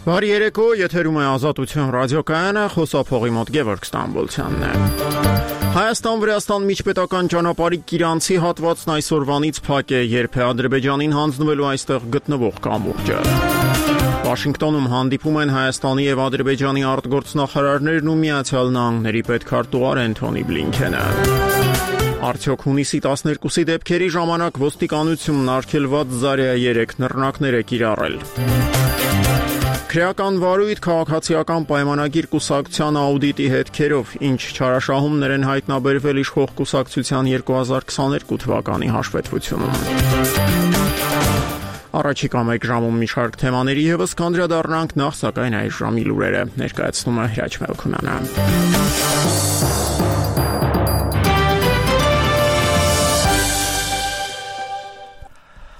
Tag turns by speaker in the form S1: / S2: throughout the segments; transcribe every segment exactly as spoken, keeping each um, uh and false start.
S1: Բարի երեկո, եթերում է Ազատություն ռադիոկայանը, խոսափողի մոտ Գևորգ Ստամբոլցյանն է։ Հայաստան-Վրաստան միջպետական ճանապարհի Կիրանցի հատվածն այսօրվանից փակ է, երբ է Ադրբեջանին հանձնվելու այստեղ գտնվող կամուրջը։ Վաշինգտոնում հանդիպում են Հայաստանի եւ Ադրբեջանի արտգործնախարարներն ու Միացյալ Նահանգների պետքարտուղար Էնթոնի Բլինքենը։ Արդյոք հունիսի տասներկուսի դեպքերի ժամանակ ոստիկանությունն արգելված Զարյա երեք նռնակներ է կիրառել։ Քրեական վարույթ քաղաքացիական պայմանագիր կուսակցության աուդիտի հետքերով, ինչ չարաշահումներ են հայտնաբերվել իշխող կուսակցության երկու հազար քսաներկու թվականի հաշվետվությունում։ Առաջիկա մեկ ժամում մի շարք թեմաների ևս կանդրադառնանք, նախ սակայն այս ժամի լուրերը ներկայացնում է Հրաչ Մելքոնյանը։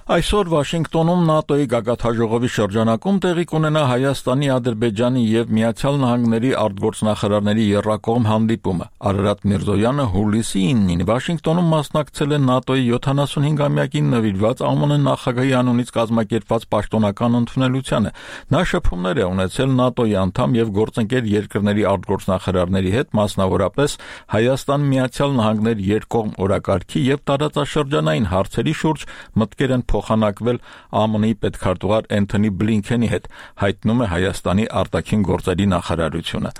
S2: Այսօր Վաշինգտոնում ՆԱՏՕ-ի գագաթնաժողովի շրջանակում տեղի կունենա Հայաստանի, Ադրբեջանի եւ Միացյալ Նահանգների արտգործնախարարների եռակողմ հանդիպումը։ Արարատ Միրզոյանը հուլիսի իննին Վաշինգտոնում մասնակցել է ՆԱՏՕ-ի յոթանասունհինգամյակին նվիրված ԱՄՆ նախագահի անունից կազմակերպված պաշտոնական ընդունելությանը։ Նա շփումներ է ունեցել ՆԱՏՕ-ի անդամ եւ գործընկեր երկրների արտգործնախարարների հետ, մասնավորապես Հայաստան-Միացյալ Նահանգներ երկկողմ օրակարգի եւ տարածաշրջանային հարցերի շուրջ մտքեր են փոխանակվել ԱՄՆ-ի պետքարտուղար Էնթոնի Բլինքենի հետ, հայտնում է Հայաստանի արտաքին գործերի նախարարությունը։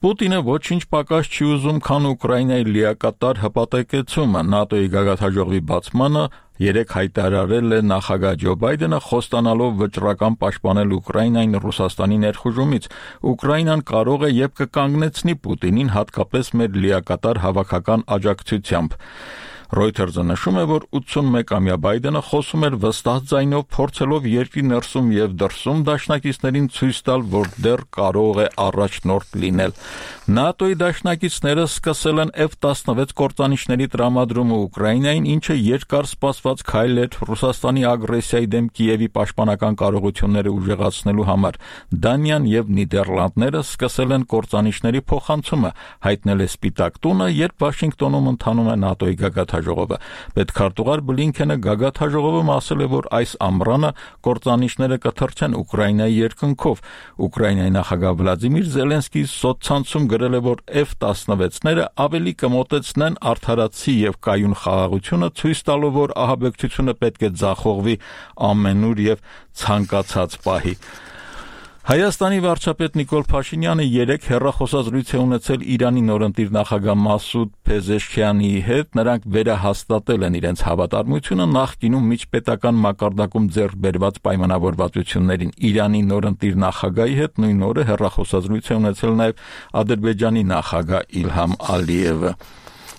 S2: Պուտինը ոչինչ պակաս չի ուզում, քան Ուկրաինայի լիակատար հպատակեցումը։ ՆԱՏՕ-ի գագաթնաժողովի բացմանը երեք հայտարարել է նախագահ Ջո Բայդենը, խոստանալով վճռական պաշտպանել Ուկրաինային Ռուսաստանի ներխուժումից։ Ուկրաինան կարող է եւ կկանգնեցնի Պուտինին, հատկապես մեր լիակատար հավաքական աջակցությամբ։ Reuters-ը նշում է, որ ութսունմեկամյա Բայդենը խոսում էր վստահ ձայնով, փորձելով երկրի ներսում եւ դրսում դաշնակիցներին ցույց տալ, որ դեռ կարող է առաջնորդ լինել։ ՆԱՏՕ-ի դաշնակիցները սկսել են F տասնվեց կործանիչների տրամադրումը Ուկրաինային, ինչը երկար սպասված քայլ էր Ռուսաստանի ագրեսիայի դեմ Կիևի պաշտպանական կարողությունները ուժեղացնելու համար։ Դանիան եւ Նիդերլանդները սկսել են կործանիչների փոխանցումը, հայտնել է Սպիտակ տունը, երբ Վաշինգտոնում ընթանում է ՆԱՏՕ-ի գագաթնաժողովը։ Պետքարտուղար Բլինքենը գագաթնաժողովում ասել է, որ այս ամռանը կործանիչները կթռչեն Ուկրաինայի երկնքով։ Ուկրաինայի նախագահ Վլադիմիր Զելենսկին սոցցանցում գրել է, որ F տասնվեցները ավելի կմոտեցնեն արդարացի եւ կայուն խաղաղությունը, ցույց տալով, որ ահաբեկչությունը պետք է ձախողվի ամենուր եւ ցանկացած պահի։ Հայաստանի վարչապետ Նիկոլ Փաշինյանը երեք հեռախոսազրույց է ունեցել Իրանի նորընտիր նախագահ Մասուդ Փեզեշքիանի հետ։ Նրանք վերահաստատել են իրենց հավատարմությունը նախկինում միջպետական մակարդակում ձեռք բերված պայմանավորվածություններին։ Իրանի նորընտիր նախագահի հետ նույն օրը հեռախոսազրույց է ունեցել նաև Ադրբեջանի նախագահ Իլհամ Ալիևը։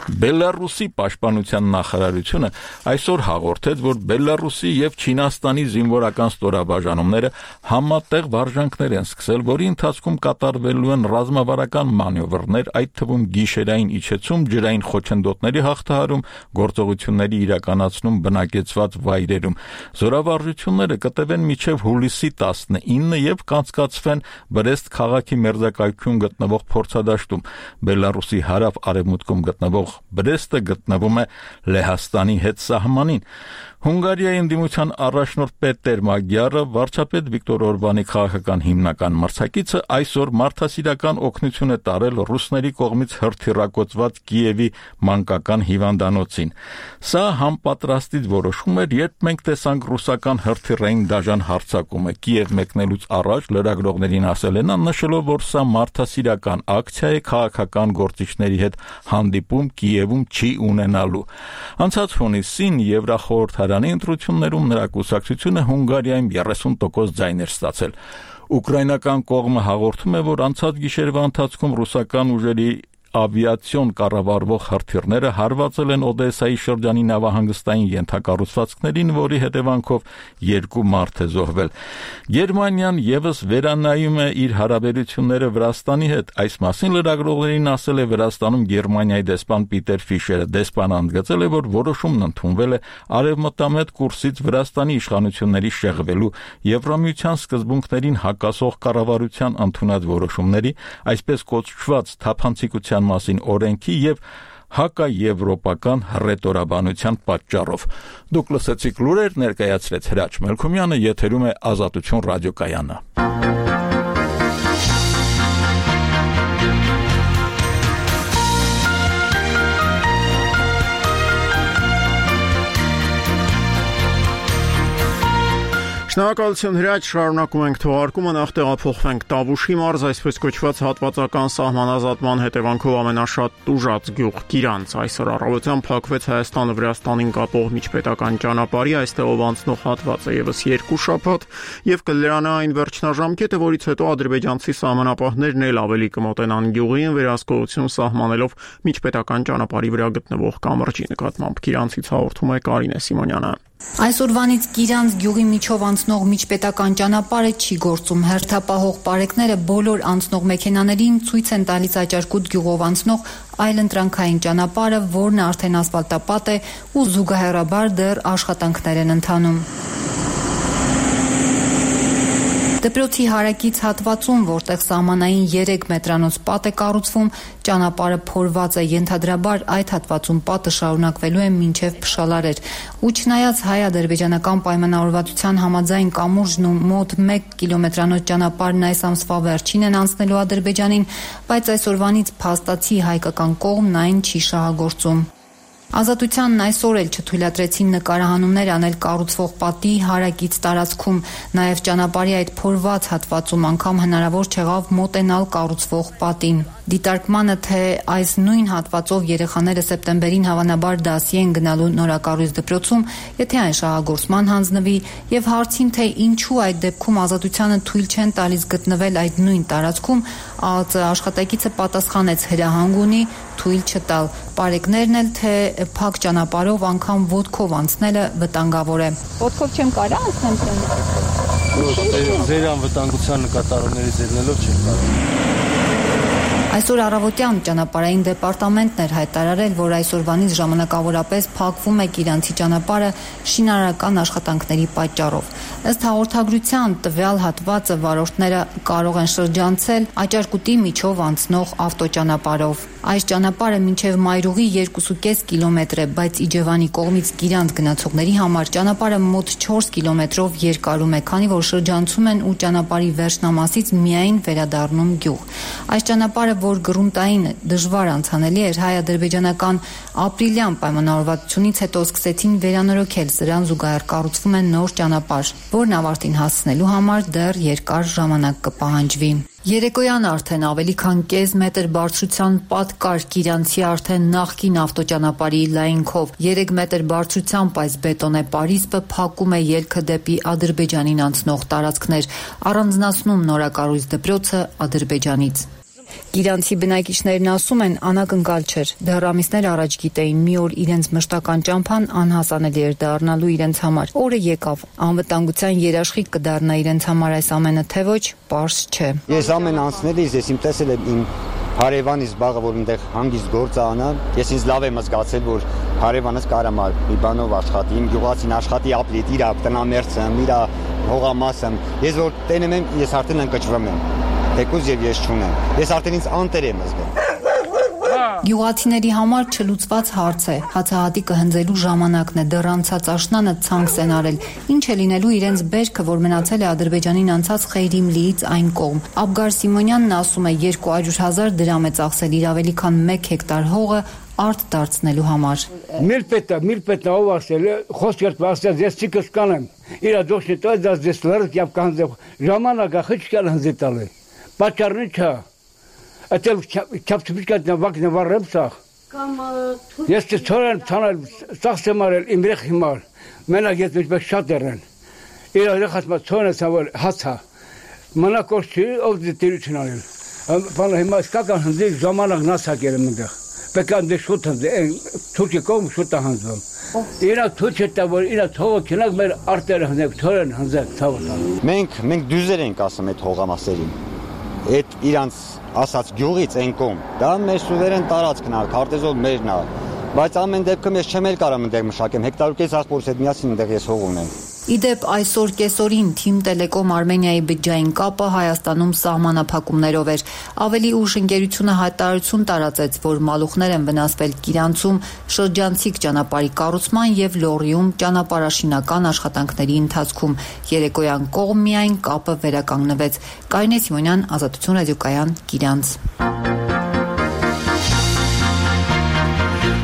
S2: Բելարուսի պաշտպանության նախարարությունը այսօր հաղորդեց, որ Բելարուսի եւ Չինաստանի զինվորական ստորաբաժանումները համատեղ վարժանքներ են սկսել, որի ընթացքում կատարվելու են ռազմավարական մանևրներ, այդ թվում գիշերային իջեցում, ջրային խոչընդոտների հաղթահարում, գործողությունների իրականացնում բնակեցված վայրերում։ Զորավարժությունները կտևեն մինչև հուլիսի տասնինը եւ կանցկացվեն Բրեստ քաղաքի մերձակայքում գտնվող փորձադաշտում։ Բելարուսի հարավ-արևմուտքում գտնվող Բրեստը գտնվում է Լեհաստանի հետ սահմանին։ Հունգարիայի ընդդիմության առաջնորդ Պետեր Մագյարը, վարչապետ Վիկտոր Օրբանի քաղաքական հիմնական մրցակիցը, այսօր մարդասիրական օգնություն է տարել ռուսների կողմից հրթիռակոծված Կիևի մանկական հիվանդանոցին։ Սա համապատրաստից որոշում էր, երբ մենք տեսանք ռուսական հրթիռային դաժան հարձակումը։ Կիև մեկնելուց առաջ լրագրողներին ասել է նա, նշելով, որ սա մարդասիրական ակցիա է, քաղաքական գործիչների հետ հանդիպում Կիևում չի ունենալու։ Անցած հունիսին Եվրախորհրդարանի ընտրություններում նրա կուսակցությունը Հունգարիայում երեսուն տոկոս ձայն էր ստացել։ Ուկրաինական կողմը հաղորդում է, որ անցած գիշերվա ընթացքում ռուսական ուժերի ավիացիոն կառավարվող հրթիռները հարվածել են Օդեսայի շրջանի նավահանգստային ենթակառուցվածքներին, որի հետևանքով երկու մարդ է զոհվել։ Գերմանիան եւս վերանայում է իր հարաբերությունները Վրաստանի հետ։ Այս մասին լրագրողներին ասել է Վրաստանում Գերմանիայի դեսպան Պիտեր Ֆիշերը։ Դեսպանը ընդգծել է, որ որոշումն ընդունվել է արևմտամետ կուրսից Վրաստանի իշխանությունների շեղվելու Եվրամիության սկզբունքներին հակասող կառավարության ընդունած որոշումների, այսպես կոչված թափանցիկության մասին օրենքի եւ հակաեվրոպական հռետորաբանության պատճառով։ Դուք լսեցիք լուրեր, ներկայացրեց Հրաչ Մելքոնյանը, եթերում է Ազատություն ռադիոկայանը։
S1: Շնորհակալություն հրաչ, շարունակում ենք թողարկումը, նախ տեղափոխվենք Տավուշի մարզ, այսպես կոչված հատվածական սահմանազատման հետևանքով ամենաշատ տուժած գյուղ Գիրանց։ Այսօր առավոտյան փակվեց Հայաստանը Վրաստանին կապող միջպետական ճանապարհի այստեղով անցնող հատվածը եւս երկու շաբաթ եւ կլրանա այն վերջնաժամկետը, որից հետո ադրբեջանցի սահմանապահներն էլ ավելի կմոտենան գյուղին, վերահսկողություն սահմանելով միջպետական ճանապարհի վրա գտնվող կամրջի նկատմամբ։ Գիրանցից հաղորդում է Կարինե Սիմոնյանը։
S3: Այսօրվանից Գիրանց գյուղի միջով անցնող միջպետական ճանապարհը չի գործում։ Հերթապահող պարեկները բոլոր անցնող մեքենաներին ցույց են տալիս Աճարկուտ գյուղով անցնող այլընտրանքային ճանապարհը, որն արդեն ասֆալտապատ է ու զուգահեռաբար դեռ աշխատանքներ են ընթանում։ Դպրոցի հարակից հատվածում, որտեղ սահմանային երեք մետրանոց պատ է կառուցվում, ճանապարհը փորված է, ենթադրաբար այդ հատվածում պատը շարունակվելու է մինչև Փշալարեր։ Ու չնայած հայ-ադրբեջանական պայմանավորվածության համաձայն կամուրջն ու մոտ մեկ կիլոմետրանոց ճանապարհն այս ամսվա վերջին են անցնելու Ադրբեջանին, բայց այսօրվանից փաստացի հայկական կողմն այն չի շահագործում։ Ազատությանն այսօր էլ չթույլատրեցին նկարահանումներ անել կառուցվող պատի հարակից տարածքում, նաև ճանապարհի այդ փորված հատվածում անգամ հնարավոր չեղավ մոտենալ կառուցվող պատին։ Դիտարկմանը, թե այս նույն հատվածով երեխաները սեպտեմբերին հավանաբար դասի են գնալու նորակառույց դպրոցում, եթե այն շահագործման հանձնվի, եւ հարցին, թե ինչու այդ դեպքում Ազատությանը թույլ չեն տալիս գտնվել այդ նույն տարածքում, ԱԱԾ աշխատակիցը պատասխանեց հրահանգ ունի թույլ չտալ։ Պարեկներն էլ, թե փակ ճանապարհով անգամ ոտքով անցնելը վտանգավոր է։ Ոտքով չեմ կարա անցնեմ։
S4: Ձեր անվտանգության նկատառումների ձեռնելով չեմ կարող։
S3: Այսօր առավոտյան ճանապարհային դեպարտամենտն էր հայտարարել, որ այսօրվանից ժամանակավորապես փակվում է Գիրանցի ճանապարհը շինարարական աշխատանքների պատճառով։ Ըստ հաղորդագրության, տվյալ հատվածը վարորդները կարող են շրջանցել Աճարկուտի միջով անցնող ավտոճանապարհով։ Այս ճանապարհը մինչև Մայրուղի երկու կես կիլոմետր է, բայց Իջևանի կողմից Գիրանց գնացողների համար ճանապարհը մոտ չորս կիլոմետրով երկարում է, քանի որ շրջանցում են ու ճանապարհի վերջնամասից միայն վերադառնում գյուղ։ Այս ճանապարհը, որ գրունտային դժվար անցանելի էր, հայ-ադրբեջանական ապրիլյան պայմանավորվածությունից հետո սկսեցին վերանորոգել, սրան զուգահեռ կառուցվում է նոր ճանապարհ, որն ավարտին հասցնելու համար դեռ երկար ժամանակ կպահանջվի։ Երեկոյան արդեն ավելի քան կես մետր բարձրության պատ կար Գիրանցի արդեն նախկին ավտոճանապարհի լայնքով։ երեք մետր բարձրությամբ այս բետոնե պարիսպը փակում է ելքը դեպի Ադրբեջանին անցնող տարածքներ, առանձնացնում նորակառույց դպրոցը Ադրբեջանից։ Գիրանցի բնակիչներն ասում են, անակնկալ չէր, դեռ ամիսներ առաջ գիտեին, մի օր իրենց մշտական ճամփան անհասանելի էր դառնալու իրենց համար։ Օրը եկավ, անվտանգության երաշխիք կդառնա իրենց համար այս ամենը, թե ոչ, պարզ չէ։
S5: Ես ամեն անցնելիս ես իմ տեսել եմ իմ հարևանից բաղը, որ այնտեղ հանգիստ գործ անա, ես ինձ լավ եմ զգացել, որ հարևանս կարամ մի բանով աշխատի, իմ գյուղացին աշխատի ապլիտ, իր տնամերձը, իր հողամասը։ Ես որ տենում եմ, ես արդեն ընկճվում եմ։ Թեկուզ եւ ես չունեմ։ Ես արդեն ինձ անտեր եմ զգում։
S3: Գյուղացիների համար չլուծված հարց է։ Հացահատիկը հնձելու ժամանակն է, դեռ անցած աշնանը ցանց են արել։ Ինչ է լինելու իրենց բերքը, որ մնացել է Ադրբեջանին անցած Խեյրիմլիից այն կողմ։ Աբգար Սիմոնյանն ասում է երկու հարյուր հազար դրամ է ծախսել իր ավելի քան մեկ հեկտար հողը արտ դարձնելու համար։
S6: Միլպետա, միլպետա ով ասել է, խոսքերտ վասել, ես չի կսկանեմ։ Իրա դոշնի տոյ դաս դես լրտ եւ կանձև ժամանակը խիչկալ հնձետալը։ Պատճառն չէ։ Այդել չափչփիկած նավակն վառեմ սախ։ Կամ ես չորեն ցանել ծախսեմ արել իմ երեխի համար։ Մենակ ես մեջբեկ շատ երեն։ Իր երեխասմա ցոնը սավալ հացա։ Մնակոս չի ով դիտերություն արել։ Բանը հիմա սկական հնձի ժամանակ նասակել եմ այնտեղ։ Պեկան դե շուտ հնձի, թուրքի կողմ շուտ հնձվում։ Իրա թույլ չտա որ իրա թողը քնակ մեր արտերը հնձեք, թորեն հնձեք, ցավը։
S5: Մենք մենք դյուզեր ենք ասում այդ հողամասերին։ Այդ իրանց ասած գյուղից են կողմ, դա մեր սուվերեն տարածքն է, քարտեզով մերն է, բայց ամեն դեպքում ես չեմ էլ կարող այնտեղ մշակեմ, հեկտարուկես աղբորից հետ միասին այնտեղ ես հող ունեմ։
S3: Իդեպ այսօր կեսօրին Թիմ Տելեկոմ Արմենիայի բջջային կապը Հայաստանում սահմանափակումներով էր։ Ավելի ուշ ընկերությունը հայտարարություն տարածեց, որ մալուխներ են վնասվել Գիրանցում շրջանցիկ ճանապարհի կառուցման եւ Լոռիում ճանապարհաշինական աշխատանքների ընթացքում։ Երեկոյան կողմ միայն կապը վերականգնվեց։ Կարինե Սիմոնյան, Ազատություն ռադիոկայան, Գիրանց։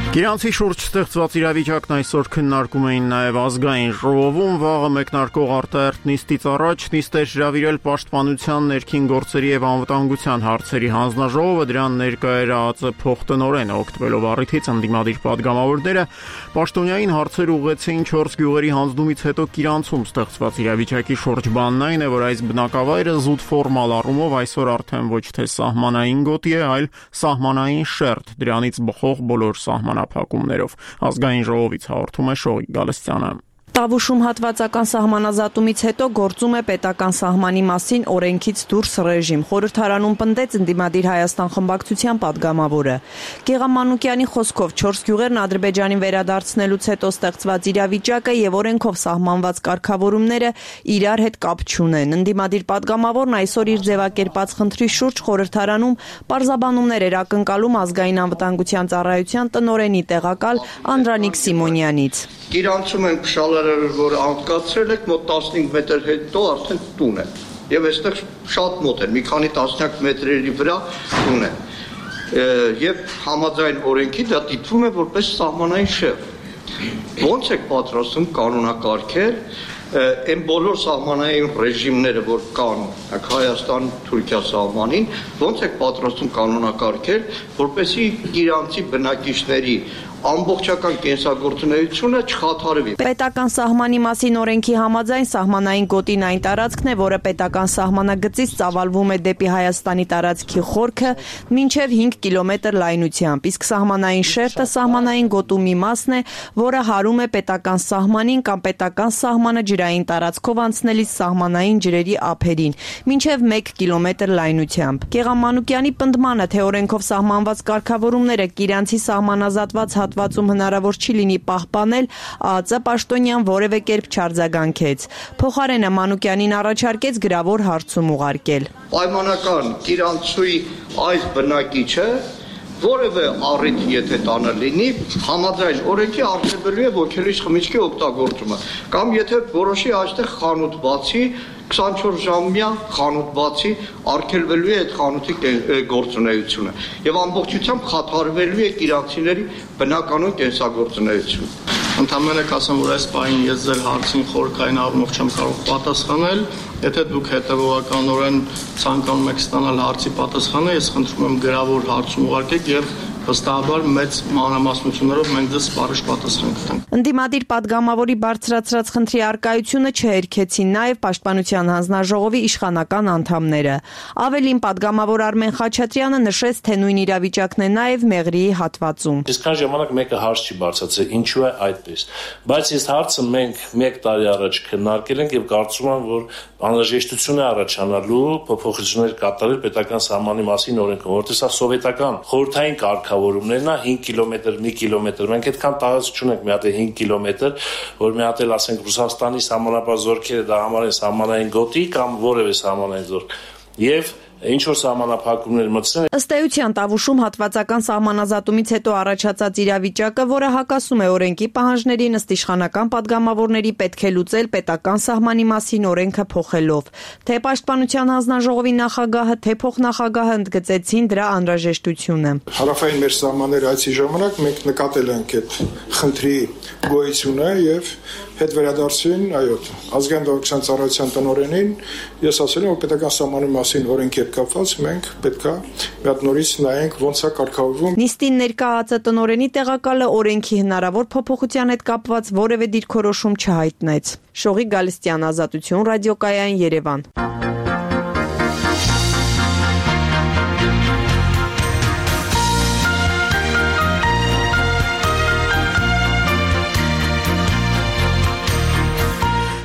S1: Իրանցի շուրջ ստեղծված իրավիճակն այսօր քննարկում էին նաև ազգային ժողովում, վաղը մեկնարկող արտահերթ նիստից առաջ նիստ էր հրավիրել Պաշտպանության, ներքին գործերի և անվտանգության հարցերի հանձնաժողովը, դրան ներկա էր ԱԱԾ փոխտնօրենը, օգտվելով առիթից ընդդիմադիր պատգամավորները պաշտոնյային հարցեր ուղղեցին չորս գյուղերի հանձնումից հետո Իրանցում ստեղծված իրավիճակի շուրջ։ Բանն այն է, որ այս բնակավայրը զուտ ֆորմալ առումով այսօր արդեն ոչ թե սահմանային գոտի է, այլ սահմանային շերտ, դրանից բխող բոլոր սահմանափակումներով։ Ազգային ժողովից հաղորդում է Շողիկ Գալստյանը։
S7: Տավուշում հատվածական սահմանազատումից հետո գործում է պետական սահմանի մասին օրենքից դուրս ռեժիմ։ Խորհրդարանում պնդեց ընդդիմադիր Հայաստան խմբակցության պատգամավորը։ Գեղամանուկյանի խոսքով չորս գյուղերն Ադրբեջանին վերադարձնելուց հետո ստեղծված իրավիճակը եւ օրենքով սահմանված կարգավորումները իրար հետ կապ չունեն։ Ընդդիմադիր պատգամավորն այսօր իր ձևակերպած խնդրի շուրջ խորհրդարանում պարզաբանումներ էր ակնկալում ազգային անվտանգության ծառայության տնօրենի տեղակալ Անդրանիկ Սիմոնյանից։
S8: Իրանցում են փշալարերը, որ անկացրել եք, մոտ տասնհինգ մետր հետո արդեն տուն է։ Եվ այստեղ շատ մոտ է, մի քանի տասնյակ մետրերի վրա տուն է։ Եվ համաձայն օրենքի դա դիտվում է որպես սահմանային շերտ։ Ոնց եք պատրաստում կանոնակարգել այն բոլոր սահմանային ռեժիմները, որ կան Հայաստան-Թուրքիա սահմանին, ոնց եք պատրաստում կանոնակարգել, որպեսզի իրանցի բնակիչների ամբողջական կենսագործունեությունը չխաթարվի։
S7: Պետական սահմանի մասին օրենքի համաձայն սահմանային գոտին այն տարածքն է, որը պետական սահմանագծից ծավալվում է դեպի Հայաստանի տարածքի խորքը մինչև հինգ կիլոմետր լայնությամբ, իսկ սահմանային շերտը սահմանային գոտու մի մասն է, որը հարում է պետական սահմանին կամ պետական սահմանը ջրային տարածքով անցնելիս սահմանային ջրերի ափերին, մինչև մեկ կիլոմետր լայնությամբ։ Գեղամանուկյանի պնդմանը, թե օրենքով սահմանված կարգավորումները Իրանցի սահմանազատված հատվածում հնարավոր չի լինի պահպանել, ԱԱԾ պաշտոնյան որևէ կերպ չարձագանքեց։ Փոխարենը Մանուկյանին առաջարկեց գրավոր հարցում ուղարկել։
S8: Պայմանական Իրանցուի այս բնակիչը որևէ առիթ եթե տանը լինի, համաձայն օրենքի արգելվելու է ոգելից խմիչքի օգտագործումը, կամ եթե որոշի այստեղ խանութ բացի, քսանչորս ժամյա խանութ բացի, արգելվելու է այդ խանութի գործունեությունը եւ ամբողջությամբ խաթարվելու է իրանցիների բնականոն կենսագործունեությունը։
S9: Ընդհանրապես կասեմ, որ այս պահին ես ձեր հարցին խորքային առումով չեմ կարող պատասխանել, եթե դուք հետևողականորեն ցանկանում եք ստանալ հարցի պատասխանը, ես խնդրում եմ գրավոր հարցում ուղարկեք եւ վստահաբար մեծ մանրամասնություններով մենք դες սպառիչ պատասխան կտանք։
S7: Ընդդիմադիր պատգամավորի բարձրացրած խնդրի արկայությունը չհերքեցին նաև Պաշտպանության հանձնաժողովի իշխանական անդամները։ Ավելին, պատգամավոր Արմեն Խաչատրյանը նշեց, թե նույն իրավիճակն է նաև Մեղրիի հատվածում։
S10: Այսքան ժամանակ մեկը հարց չի բարձրացել, ինչու է այդպես։ Բայց այս հարցը մենք մեկ տարի առաջ քննարկել ենք եւ կարծում եմ, որ անհրաժեշտություն է առաջանալու փոփոխություններ կատարել պետական սահմանի մասին օրենքում, որտեղ սա սովետական խորհրդային կարգավորումներն է հինգ կիլոմետր, մի կիլոմետր։ Մենք այդքան տարածք չունենք մի հատ հինգ կիլոմետր, որ մի հատ էլ ասենք Ռուսաստանի սահմանապահ զորքերը դա համարեն սահմանային գոտի կամ որևէ սահմանային զորք։ Եվ ինչ որ սահմանափակումներ մտցնեն։
S7: Ըստ էության Տավուշում հատվածական սահմանազատումից հետո առաջացած իրավիճակը, որը հակասում է օրենքի պահանջներին, ըստ իշխանական պատգամավորների պետք է լուծել պետական սահմանի մասին օրենքը փոխելով։ Թե Պաշտպանության հանձնաժողովի նախագահը, թե փոխնախագահը ընդգծեցին դրա անհրաժեշտությունը։
S11: Հարավային մեր սահմանները այցի ժամանակ մենք նկատել ենք այդ խնդրի գոյությունը եւ հետ վերադարձին, այո, ազգային դաշնության ծառայության տնօրենին ես ասել եմ, որ պետական սահմանի մասին օրենքի հետ կապված մենք պետքա մի հատ նորից նայենք ոնց է կարգավորվում։
S7: Նիստին ներկա ԱԱԾ տնօրենի տեղակալը օրենքի հնարավոր փոփոխության հետ կապված որևէ դիրքորոշում չհայտնեց։ Շողիկ Գալստյան, Ազատություն, ռադիոկայան, Երևան։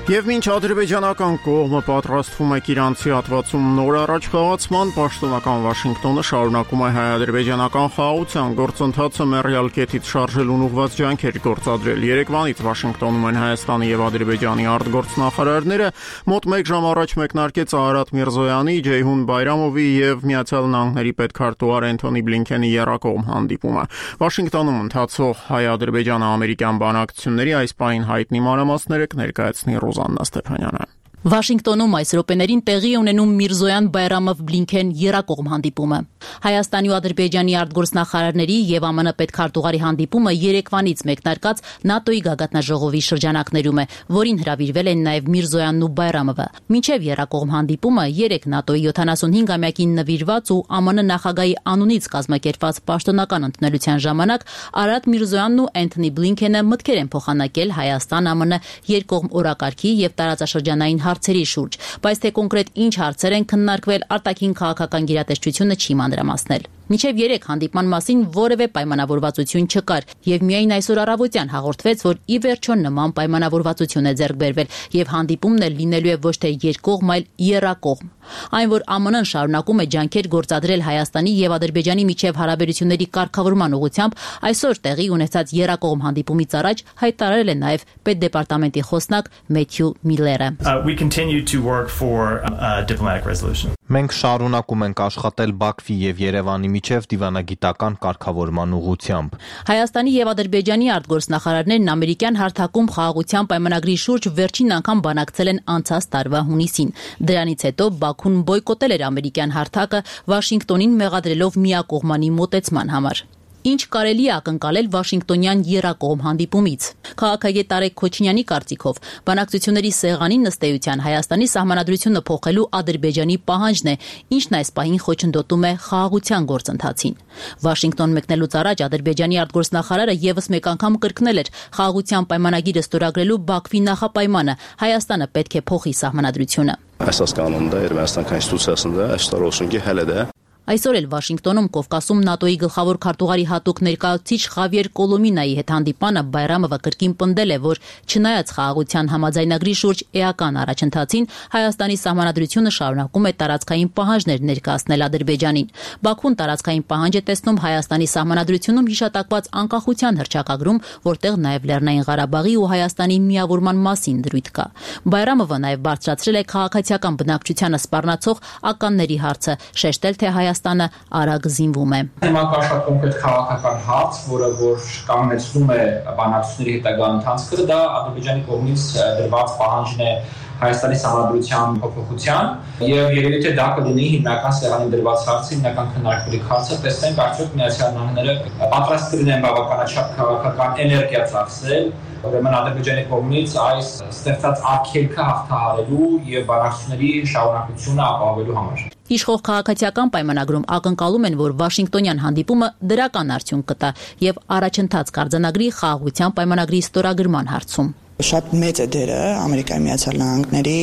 S1: Եվ մինչ ադրբեջանական կողմը պատրաստվում է իրանցի հատվածում նոր առաջխաղացման, պաշտոնական Վաշինգտոնը շարունակում է հայ-ադրբեջանական խաղաղության գործընթացը մեռյալ կետից շարժելուն ուղղված ջանքեր գործադրել։ Երեկվանից Վաշինգտոնում են Հայաստանի եւ Ադրբեջանի արտգործնախարարները, մոտ մեկ ժամ առաջ մեկնարկեց Արարատ Միրզոյանի, Ջեյհուն Բայրամովի եւ Միացյալ Նահանգների պետքարտուղար Էնթոնի Բլինքենի եռակողմ հանդիպումը։ Վաշինգտոնում ընթացող հայ-ադրբեջանա-ամերիկյան բանակցությունների այս պահին հայտնի մանրամասները կներկայացնի Ռոզաննա Ստեփանյանը։
S12: Վաշինգտոնում այս րոպեներին տեղի ունենում Միրզոյան Բայրամով Բլինքեն եռակողմ հանդիպումը։ Հայաստանի ու Ադրբեջանի արտգործնախարարների եւ ԱՄՆ պետքարտուղարի հանդիպումը երեկվանից մեկնարկած ՆԱՏՕ-ի գագաթնաժողովի շրջանակներում է, որին հրավիրվել են նաեւ Միրզոյանն ու Բայրամովը։ Մինչեւ եռակողմ հանդիպումը երեք ՆԱՏՕ-ի յոթանասունհինգամյակին նվիրված ու ԱՄՆ նախագահի անունից կազմակերպված պաշտոնական ընդունելության ժամանակ Արադ Միրզոյանն ու Էնթոնի Բլինքենը մտքեր են փոխանակել Հայաստան-ԱՄՆ երկկողմ օրակարգի եւ տարածաշրջանային հարցերի շուրջ, բայց թե կոնկրետ ինչ հարցեր են քննարկվել, արտաքին քաղաքական գերատեսչությունը չի մանրամասնել։ Մինչև երեք հանդիպման մասին որևէ պայմանավորվածություն չկար եւ միայն այսօր առավոտյան հաղորդվեց, որ ի վերջո նման պայմանավորվածություն է ձեռք բերվել եւ հանդիպումն էլ լինելու է ոչ թե երկկողմ, այլ եռակողմ։ Այն, որ ԱՄՆ-ն շարունակում է ջանքեր գործադրել Հայաստանի եւ Ադրբեջանի միջև հարաբերությունների կարգավորման ուղղությամբ, այսօր տեղի ունեցած եռակողմ հանդիպումից առաջ հայտարարել է նաեւ պետդեպարտամենտի խոսնակ Մեթյու Միլլերը։
S13: Մենք շարունակում ենք աշխատել Բաքվի եւ Երևանի միջև դիվանագիտական կարգավորման ուղղությամբ։
S12: Հայաստանի եւ Ադրբեջանի արտգործնախարարներն ամերիկյան հարթակում խաղաղության պայմանագրի շուրջ վերջին անգամ բանակցել են անցած տարվա հունիսին։ Դրանից հետո Բաքուն բոյկոտել էր ամերիկյան հարթակը, Վաշինգտոնին մեղադրելով միակողմանի մոտեցման համար։ Ինչ կարելի է ակնկալել Վաշինգտոնյան եռակողմ հանդիպումից։ Քաղաքագետ Տարեկ Քոչինյանի կարծիքով բանակցությունների սեղանին ըստ էության Հայաստանի սահմանադրությունը փոխելու Ադրբեջանի պահանջն է, ինչն այս պահին խոչընդոտում է խաղաղության գործընթացին։ Վաշինգտոն մեկնելուց առաջ Ադրբեջանի արտգործնախարարը եւս մեկ անգամ կրկնել էր խաղաղության պայմանագիրը ստորագրելու Բաքվի նախապայմանը՝ Հայաստանը պետք է փոխի սահմանադրությունը։
S14: Əsas qanunda Ermənistan konstitusiyasında əksər olsun ki, hələ də
S12: Այսօր էլ Վաշինգտոնում Կովկասում ՆԱՏՕ-ի գլխավոր քարտուղարի հատուկ ներկայացուցիչ Խավիեր Կոլոմինայի հետ հանդիպանը Բայրամովը կրկին պնդել է, որ չնայած խաղաղության համաձայնագրի շուրջ էական առաջընթացին, Հայաստանի սահմանադրությունը շարունակում է տարածքային պահանջներ ներկայացնել Ադրբեջանին։ Բաքուն տարածքային պահանջ է տեսնում Հայաստանի սահմանադրությունում հիշատակված անկախության հռչակագրում, որտեղ նաև Լեռնային Ղարաբաղի ու Հայաստանի միավորման մասին դրույթ կա։ Բայրամովը նաև բարձրացրել է քաղաքացիական բնակչությանը սպառնացող ականների հարցը, շեշտել, թե Հայաստանը արագ զինվում է։
S15: Հիմա կա շատ կոնկրետ քաղաքական հարց, որը որ կանգնեցնում է բանակցությունների հետագա ընթացքը, դա Ադրբեջանի կողմից դրված պահանջն է Հայաստանի սահմանադրության փոփոխության եւ երևի թե դա կլինի հիմնական սեղանին դրված հարցը, հիմնական քննարկվելիք հարցը, տեսնենք արդյոք Միացյալ Նահանգները պատրաստ կլինեն բավականաչափ քաղաքական էներգիա ծախսել, ուրեմն Ադրբեջանի կողմից այս ստեղծած արգելքը հաղթահարելու եւ բանակցությունների շարունակությունը ապահովելու համար։
S12: Իշխող քաղաքացիական պայմանագրում ակնկալում են, որ Վաշինգտոնյան հանդիպումը դրական արդյունք կտա եւ առաջընթաց կարձանագրի խաղաղության պայմանագրի ստորագրման հարցում։
S16: Շատ մեծ է դերը Ամերիկայի Միացյալ Նահանգների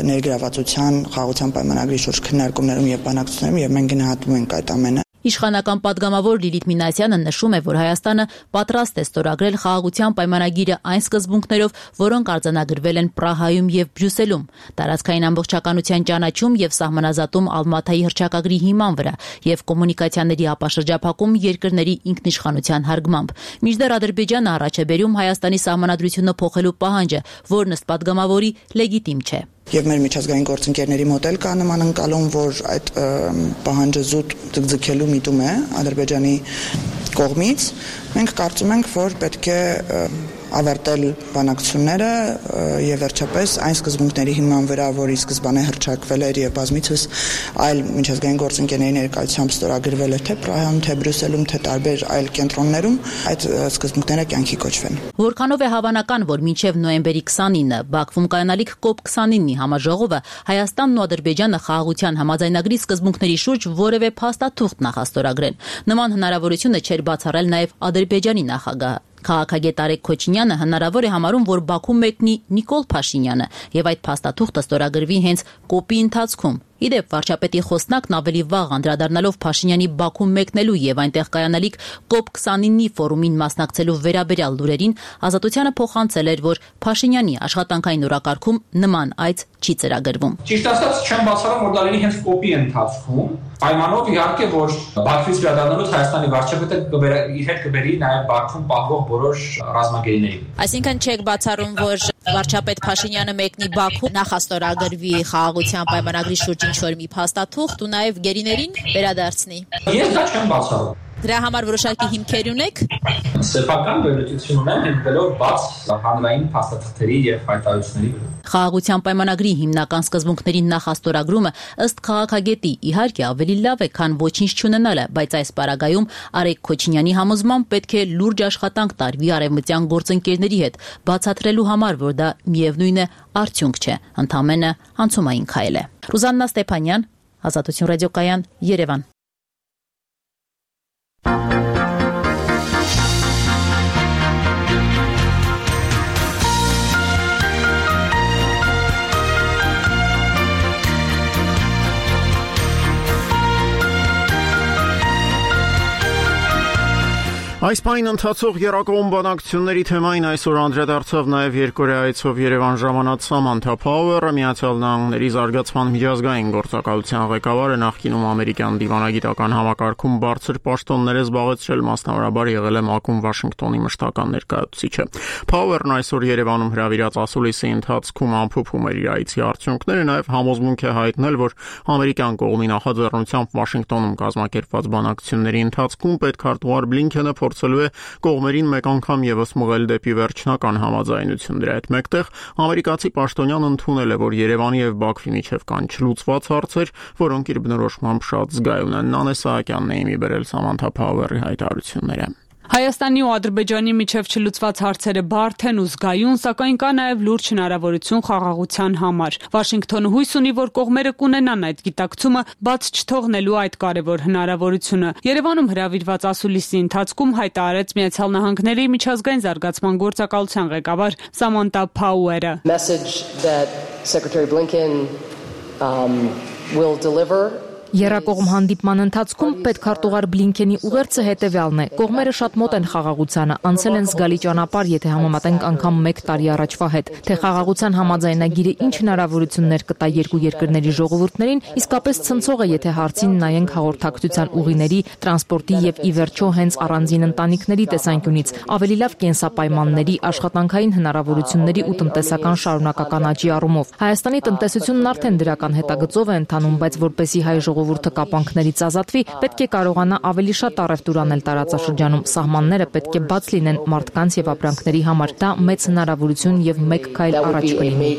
S16: ներգրավվածության խաղաղության պայմանագրի շուրջ քննարկումներում եւ բանակցություններում եւ մենք գնահատում ենք այդ ամենը։
S12: Իշխանական պատգամավոր Լիլիթ Մինասյանը նշում է, որ Հայաստանը պատրաստ է ստորագրել խաղաղության պայմանագիրը այն սկզբունքներով, որոնք արձանագրվել են Պրահայում եւ Բրյուսելում, տարածքային ամբողջականության ճանաչում եւ սահմանազատում Ալմաթայի հռչակագրի հիման վրա եւ կոմունիկացիաների ապաշրջափակում երկրների ինքնիշխանության հարգմամբ։ Մինչդեռ Ադրբեջանը առաջ է բերում Հայաստանի սահմանադրությունը փոխելու պահանջը, որն ըստ պատգամավորի լեգիտիմ չէ։
S16: Եվ մեր միջազգային գործընկերների մոտ էլ կա նման ընկալում, որ այդ պահանջը զուտ ձգձգելու միտում է Ադրբեջանի կողմից։ Մենք կարծում ենք, որ պետք է ավարտել բանակցությունները եւ վերջապես այն սկզբունքների հիման վրա, որի սկզբանե հռչակվել էր եւ բազմիցս այլ միջազգային գործընկերների ներկայությամբ ստորագրվել է թե Պրահայում, թե Բրյուսելում, թե տարբեր այլ կենտրոններում, այդ սկզբունքները կյանքի կոչվեն։
S12: Որքանով է հավանական, որ մինչև նոյեմբերի քսանինը Բաքվում կայանալիք կոպ քսանինի համաժողովը Հայաստանն ու Ադրբեջանը խաղաղության համաձայնագրի սկզբունքների շուրջ որևէ փաստաթուղթ նախաստորագրեն։ Նման հնարավորությունը չէր բացառել նաեւ Ադրբեջանի նախագահը։ Քաղաքագետ Տարեկ Քոչինյանը հնարավոր է համարում, որ Բաքու մեկնի Նիկոլ Փաշինյանը եւ այդ փաստաթուղթը ստորագրվի հենց կոպի ընթացքում։ Իդեպ վարչապետի խոսնակն ավելի վաղ անդրադառնալով Փաշինյանի Բաքու մեկնելու եւ այնտեղ կայանալիք կոպ քսանինի ֆորումին մասնակցելու վերաբերյալ լուրերին Ազատությանը փոխանցել էր, որ Փաշինյանի աշխատանքային օրակարգում նման այց չի ծրագրվում։
S15: Ճիշտ ասած, չեմ բացառում, որ դա լինի հենց կոպի ընթացքում, պայմանով իհարկե, որ Բաքվից վերադառնալուց Հայաստանի վարչապետը իր հետ կբերի նաեւ Բաքվում պահվող բոլոր ռազմագերիներին։
S12: Այսինքն չեք բացառում, որ վարչապետ Փաշինյանը մեկնի Բաքու, նախաստորագրվի խաղաղության պայմանագրի շուրջ ինչ-որ մի փաստաթուղթ ու նաև գերիներին վերադարձնի։
S15: Ես դա չեմ բացառում։
S12: Դրա համար որոշակի հիմքեր ունեք։
S15: Սեփական վերլուծություն ունեմ, հիմնվելով բաց հանրային փաստաթղթերի եւ հայտարարությունների վրա։
S12: Խաղաղության պայմանագրի հիմնական սկզբունքների նախաստորագրումը ըստ քաղաքագետի իհարկե ավելի լավ է, քան ոչինչ չունենալը, բայց այս պարագայում Արեգ Քոչինյանի համոզմամբ պետք է լուրջ աշխատանք տարվի արևմտյան գործընկերների հետ, բացատրելու համար, որ դա միևնույն է արդյունք չէ, ընդամենը անցումային քայլ է։ Ռուզաննա Ստեփանյան, Ազատություն ռադիոկայան, Երևան։
S1: Այս պայն ընթացող եռակողմ բանակցությունների թեմային այսօր անդրադարձավ նաև երկօրյայցով Երևան ժամանած Սամանթա Փաուերը, Միացյալ Նահանգների զարգացման միջազգային գործակալության ղեկավարը, նախկինում ամերիկյան դիվանագիտական համակարգում բարձր պաշտոններ է զբաղեցրել, մասնավորաբար եղել է ՄԱԿ-ում Վաշինգտոնի մշտական ներկայացուցիչը։ Փաուերն այսօր Երևանում հրավիրած ասուլիսի ընթացքում ամփոփում էր իր այցի արդյունքները, նաև համոզմունք է հայտնել, որ ամերիկյան կողմի նախաձեռնությամբ Վաշինգտոնում կազմակերպված բանակցությունների ընթացքում պետքարտուղար Բլինքենը փորձելու է կողմերին մեկ անգամ եւս մղել դեպի վերջնական համաձայնություն։ Դրա հետ մեկտեղ ամերիկացի պաշտոնյան ընդունել է, որ Երևանի եւ Բաքվի միջև կան չլուծված հարցեր, որոնք իր բնորոշմամբ շատ զգայուն են։ Նանե Սահակյանն է իմի բերել Սամանթա Փաուերի հայտարարությունները։
S17: Հայաստանի ու Ադրբեջանի միջև չլուծված հարցերը բարդ են ու զգայուն, սակայն կա նաև լուրջ հնարավորություն խաղաղության համար։ Վաշինգտոնը հույս ունի, որ կողմերը կունենան այդ գիտակցումը, բաց չթողնելու այդ կարևոր հնարավորությունը։ Երևանում հրավիրված ասուլիսի ընթացքում հայտարարեց Միացյալ Նահանգների միջազգային զարգացման գործակալության ղեկավար Սամանթա Փաուերը։
S18: Եռակողմ հանդիպման ընթացքում պետքարտուղար Բլինքենի ուղերձը հետևյալն է. կողմերը շատ մոտ են խաղաղությանը, անցել են զգալի ճանապարհ, եթե համեմատենք անգամ մեկ տարի առաջվա հետ, թե խաղաղության համաձայնագիրը ինչ հնարավորություններ կտա երկու երկրների ժողովուրդներին, իսկապես ցնցող է, եթե հարցին նայենք հաղորդակցության ուղիների, տրանսպորտի եւ ի վերջո հենց առանձին ընտանիքների տեսանկյունից, ավելի լավ կենսապայմանների, աշխատանքային հնարավորությունների ու տնտեսական շարունակական աճի առումով։ Հայաստանի տնտեսությունն արդեն դրական հետագծով է ընթանում, բայց որպեսզի հայ ժողովուրդը կապանքներից ազատվի, պետք է կարողանա ավելի շատ առևտուր անել տարածաշրջանում։ Սահմանները պետք է բաց լինեն մարդկանց եւ ապրանքների համար։ Դա մեծ հնարավորություն եւ մեկ քայլ առաջ կլինի։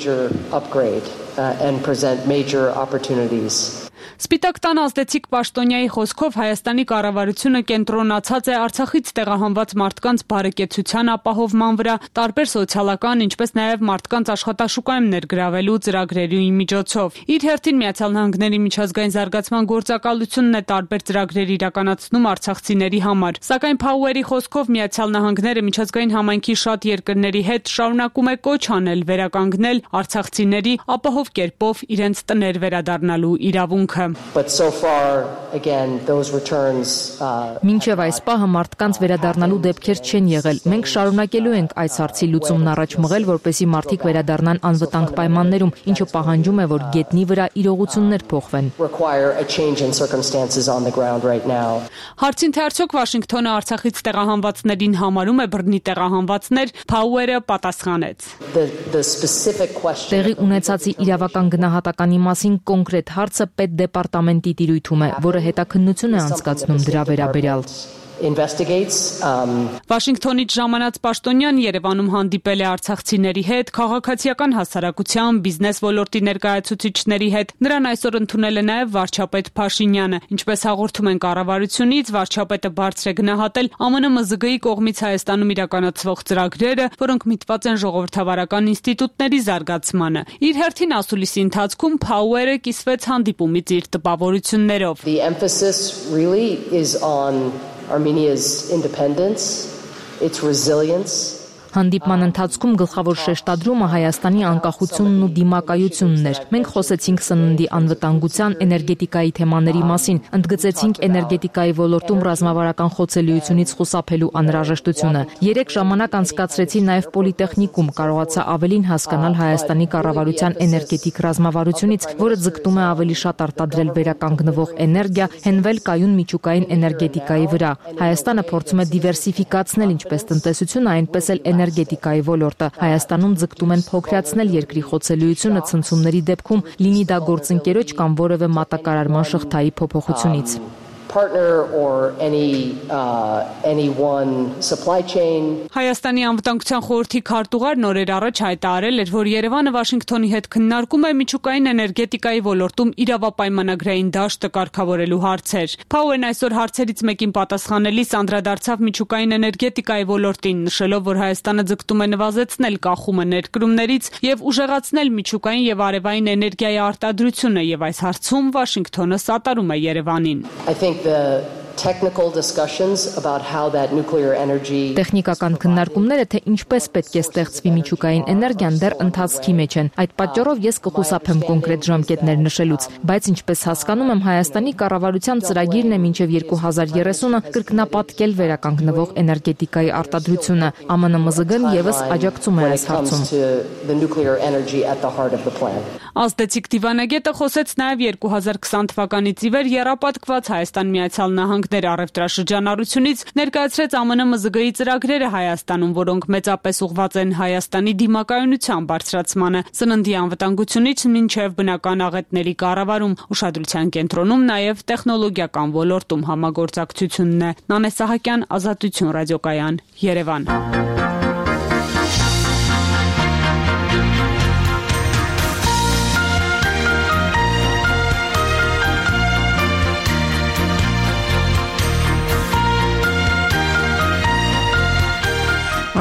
S17: Սպիտակ տան ազդեցիկ պաշտոնյայի խոսքով Հայաստանի կառավարությունը կենտրոնացած է Արցախից տեղահանված մարդկանց բարեկեցության ապահովման վրա, տարբեր սոցիալական, ինչպես նաև մարդկանց աշխատաշուկայում ներգրավելու ծրագրերի միջոցով։ Իր հերթին Միացյալ Նահանգների միջազգային զարգացման գործակալությունն է տարբեր ծրագրեր իրականացնում արցախցիների համար։ Սակայն Փաուերի խոսքով Միացյալ Նահանգները միջազգային համայնքի շատ երկրների հետ շարունակում է կոչ անել վերականգնել արցախցիների ապահով կերպով իրենց տներ վերադառնալու իրավունքը։
S18: Մինչև այս պահը մարդկանց վերադառնալու դեպքեր չեն եղել։ Մենք շարունակելու ենք այս հարցի լուծումն առաջ մղել, որպեսզի մարդիկ վերադառնան անվտանգ պայմաններում, ինչը պահանջում է, որ գետնի վրա իրողություններ փոխվեն։
S17: Հարցին թե արդյոք Վաշինգտոնը Արցախից տեղահանվածներին համարում է բռնի տեղահանվածներ, Փաուերը պատասխանեց։
S18: Տեղի ունեցածի իրավական գնահատականի մասին կոնկրետ հարցը պետդեպարտամենտի տիրույթում է, որը հետաքննություն է անցկացնում դրա վերաբերյալ։
S17: Վաշինգտոնից ժամանած պաշտոնյան Երևանում հանդիպել է արցախցիների հետ, քաղաքացիական հասարակության, բիզնես ոլորտի ներկայացուցիչների հետ։ Նրան այսօր ընդունել է նաև վարչապետ Փաշինյանը։ Ինչպես հաղորդում են կառավարությունից, վարչապետը բարձր է գնահատել ԱՄՆ ՄԶԳ-ի կողմից Հայաստանում իրականացվող ծրագրերը, որոնք միտված են ժողովրդավարական ինստիտուտների զարգացմանը։ Իր հերթին ասուլիսի ընթացքում Փաուերը կիսվեց հանդիպումից իր տպավորություններով։
S18: Armenia's independence, its resilience. Հանդիպման ընթացքում գլխավոր շեշտադրումը Հայաստանի անկախությունն ու դիմակայությունն էր։ Մենք խոսեցինք սննդի անվտանգության, էներգետիկայի թեմաների մասին, ընդգծեցինք էներգետիկայի ոլորտում ռազմավարական խոցելիությունից խուսափելու անհրաժեշտությունը։ Երեք ժամանակ անցկացրեցի նաև պոլիտեխնիկում, կարողացա ավելին հասկանալ Հայաստանի կառավարության էներգետիկ ռազմավարությունից, որը ձգտում է ավելի շատ արտադրել վերականգնվող էներգիա, հենվել կայուն միջուկային էներգետիկայի վրա։ Հայաստանը փորձում է դիվերսիֆիկացնել ինչպես տնտեսությունը, այնպես էլ էներգետիկայի ոլորտը։ Հայաստանում ձգտում են փոքրացնել երկրի խոցելիությունը ցնցումների դեպքում, լինի դա գործընկերոջ կամ որևէ մատակարարման շղթայի փոփոխությունից։
S19: partner or any uh, any one supply chain.
S17: Հայաստանի անվտանգության խորհրդի քարտուղար նորեր առաջ հայտարարել էր, որ Երևանը Վաշինգտոնի հետ քննարկում է միջուկային էներգետիկայի ոլորտում իրավապայմանագրային դաշտը կարգավորելու հարցեր։ Power-ն այսօր հարցերից մեկին պատասխանելիս անդրադարձավ միջուկային էներգետիկայի ոլորտին, նշելով, որ Հայաստանը ձգտում է նվազեցնել կախումը ներկրումներից եւ ուժեղացնել միջուկային եւ արևային էներգիայի արտադրությունը, եւ այս հարցում Վաշինգտոնը սատարում է Երևանին.
S19: I think the technical discussions about how that nuclear energy
S18: Տեխնիկական քննարկումները, թե ինչպես պետք է ստեղծվի միջուկային էներգիան, դեռ ընթացքի մեջ են։ Այդ պատճառով ես կխուսափեմ կոնկրետ ժամկետներ նշելուց, բայց ինչպես հասկանում եմ, Հայաստանի կառավարության ծրագիրն է մինչև երկու հազար երեսունը կրկնապատկել վերականգնվող էներգետիկայի արտադրությունը։ ԱՄՆ-ՄԶԳ-ն եւս աջակցում է այս հարցում։
S17: Ազդեցիկ դիվանագետը խոսեց նաև երկու հազար քսան թվականից ի վեր եռապատկված Հայաստան Միացյալ Նահանգներ առևտրաշրջանառությունից, ներկայացրեց ԱՄՆ-ՄԶԳ-ի ծրագրերը Հայաստանում, որոնք մեծապես ուղղված են Հայաստանի դիմակայունության բարձրացմանը, սննդի անվտանգությունից մինչև բնական աղետների կառավարում, ուշադրության կենտրոնում նաև տեխնոլոգիական ոլորտում համագործակցությունն է։ Նանե Սահակյան, Ազատություն ռադիոկայան, Երևան։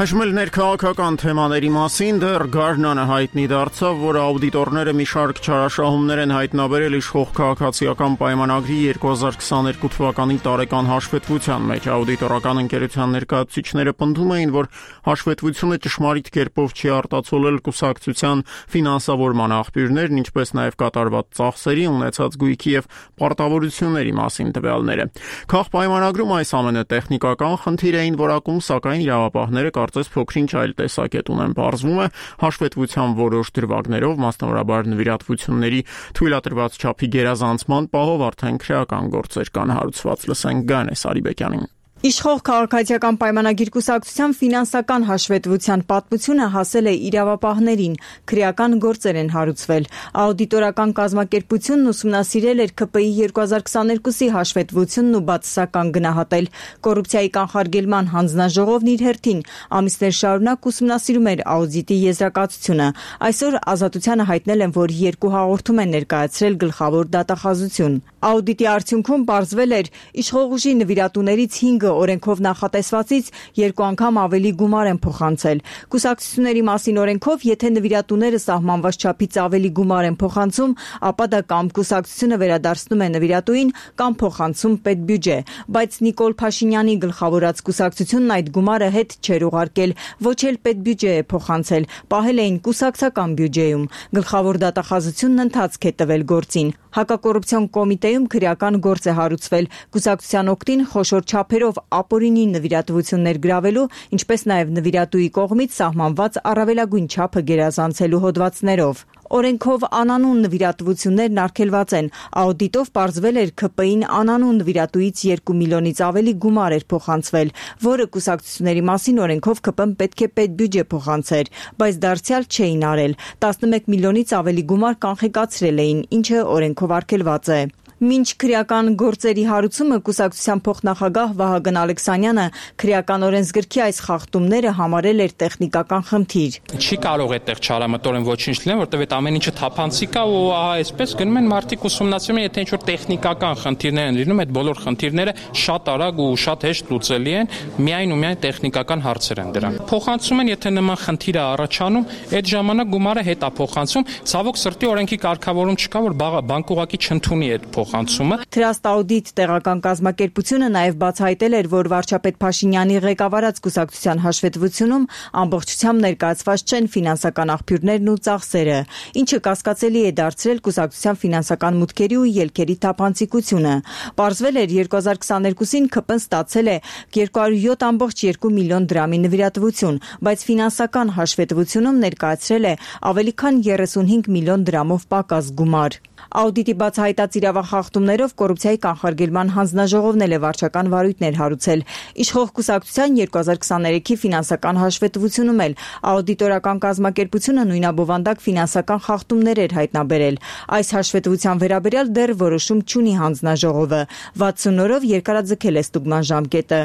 S1: Այժմ էլ ներքաղաքական թեմաների մասին դեռ Գարնանը հայտնի դարձավ, որ աուդիտորները մի շարք չարաշահումներ են հայտնաբերել իշխող քաղաքացիական պայմանագրի երկու հազար քսաներկու թվականի տարեկան հաշվետվության մեջ։ Աուդիտորական ընկերության ներկայացուցիչները պնդում էին, որ հաշվետվությունը ճշմարիտ կերպով չի արտացոլել կուսակցության ֆինանսավորման աղբյուրներն, ինչպես նաև կատարված ծախսերի, ունեցած գույքի եւ պարտավորությունների մասին տվյալները։ Քաղաքապայմանագրում այս ամենը տեխնիկական խնդիր էին որակում, սակայն իրավապահները կարծես փոքրինչ այլ տեսակետ ունեն։ Պարզվում է, հաշվետվության որոշ դրվագներով, մասնավորաբար նվիրատվությունների թույլատրված չափի գերազանցման պահով արդեն քրեական գործեր կան հարուցված։ Լսենք Գանե Սարիբեկյանին։
S7: Իշխող քաղաքացիական պայմանագիր կուսակցության ֆինանսական հաշվետվության պատմությունը հասել է իրավապահներին, քրեական գործեր են հարուցվել։ Աուդիտորական կազմակերպությունն ուսումնասիրել էր ՔՊ-ի երկու հազար քսաներկուսի հաշվետվությունն ու բացասական գնահատել։ Կոռուպցիայի կանխարգելման հանձնաժողովն իր հերթին ամիսներ շարունակ ուսումնասիրում էր աուդիտի եզրակացությունը։ Այսօր Ազատությանը հայտնել են, որ երկու հաղորդում են ներկայացրել գլխավոր դատախազություն։ Աուդիտի արդյունքում պարզվել էր, իշխող ուժի նվիրատուներից հինգը օրենքով նախատեսվածից երկու անգամ ավելի գումար են փոխանցել։ Կուսակցությունների մասին օրենքով, եթե նվիրատուները սահմանված չափից ավելի գումար են փոխանցում, ապա դա կամ կուսակցությունը վերադարձնում է նվիրատուին, կամ փոխանցում պետբյուջե, բայց Նիկոլ Փաշինյանի գլխավորած կուսակցությունն այդ գումարը հետ չէր ուղարկել, ոչ էլ պետբյուջե է փոխանցել, պահել էին կուսակցական բյուջեում։ Գլխավոր դատախազությունն ընթացք է տվել գործին։ Հակակոռուպցիոն կոմիտեում քրեական գործ է հարուցվել կուսակցության օգտին խոշոր չափերով ապօրինի նվիրատվություններ գրավելու, ինչպես նաև նվիրատուի կողմից սահմանված առավելագույն չափը գերազանցելու հոդվածներով։ Օրենքով անանուն նվիրատվություններն արգելված են։ Աուդիտով պարզվել էր ՔՊ-ին անանուն նվիրատուից երկու միլիոնից ավելի գումար էր փոխանցվել, որը կուսակցությունների մասին օրենքով ՔՊ-ն պետք է պետբյուջե փոխանցեր, բայց դարձյալ չէին արել։ տասնմեկ միլիոնից ավելի գումար կանխիկացրել էին, ինչը օրենքով արգելված է։ Մինչ քրեական գործերի հարուցումը կուսակցության փոխնախագահ Վահագն Ալեքսանյանը քրեական օրենսգրքի այս խախտումները համարել էր տեխնիկական խնդիր։
S20: Չի կարող այդտեղ չարամտորեն ոչինչ լինել, որտեղ այդ ամեն ինչը թափանցիկ է ու ահա այսպես գնում են մարդիկ ուսումնասիրում են, եթե ինչ-որ տեխնիկական խնդիրներ են լինում, այդ բոլոր խնդիրները շատ արագ ու շատ հեշտ լուծելի են, միայն ու միայն տեխնիկական հարցեր են դրանք։ Փոխանցում են, եթե նման խնդիր է առաջանում, այդ ժամանակ գումարը հետ է փոխանցում, ցավոք սրտի օրենքի կարգավորում չկա, որ բանկ ուղղակի չընդունի այդ փոխանցումը։
S7: Trust Audit տեղական կազմակերպությունը նաև բացահայտել էր, որ վարչապետ Փաշինյանի ղեկավարած կուսակցության հաշվետվությունում ամբողջությամբ ներկայացված չեն ֆինանսական աղբյուրներն ու ծախսերը, ինչը կասկածելի է դարձրել կուսակցության ֆինանսական մուտքերի ու ելքերի թափանցիկությունը։ Պարզվել էր երկու հազար քսաներկուսին ՔՊ-ն ստացել է երկու հարյուր յոթ կόμμα երկու միլիոն դրամի նվիրատվություն, բայց ֆինանսական հաշվետվությունում ներկայացրել է ավելի քան երեսունհինգ միլիոն դրամով պակաս գումար։ Աուդիտի բացահայտած իրավախախտումներով կոռուպցիայի կանխարգելման հանձնաժողովն է վարչական վարույթներ հարուցել։ Իշխող կուսակցության երկու հազար քսաներեքի ֆինանսական հաշվետվությունում էլ աուդիտորական կազմակերպությունը նույնաբովանդակ ֆինանսական խախտումներ էր հայտնաբերել։ Այս հաշվետվության վերաբերյալ դեռ որոշում չունի հանձնաժողովը։ վաթսուն օրով երկարաձգել է ստուգման ժամկետը։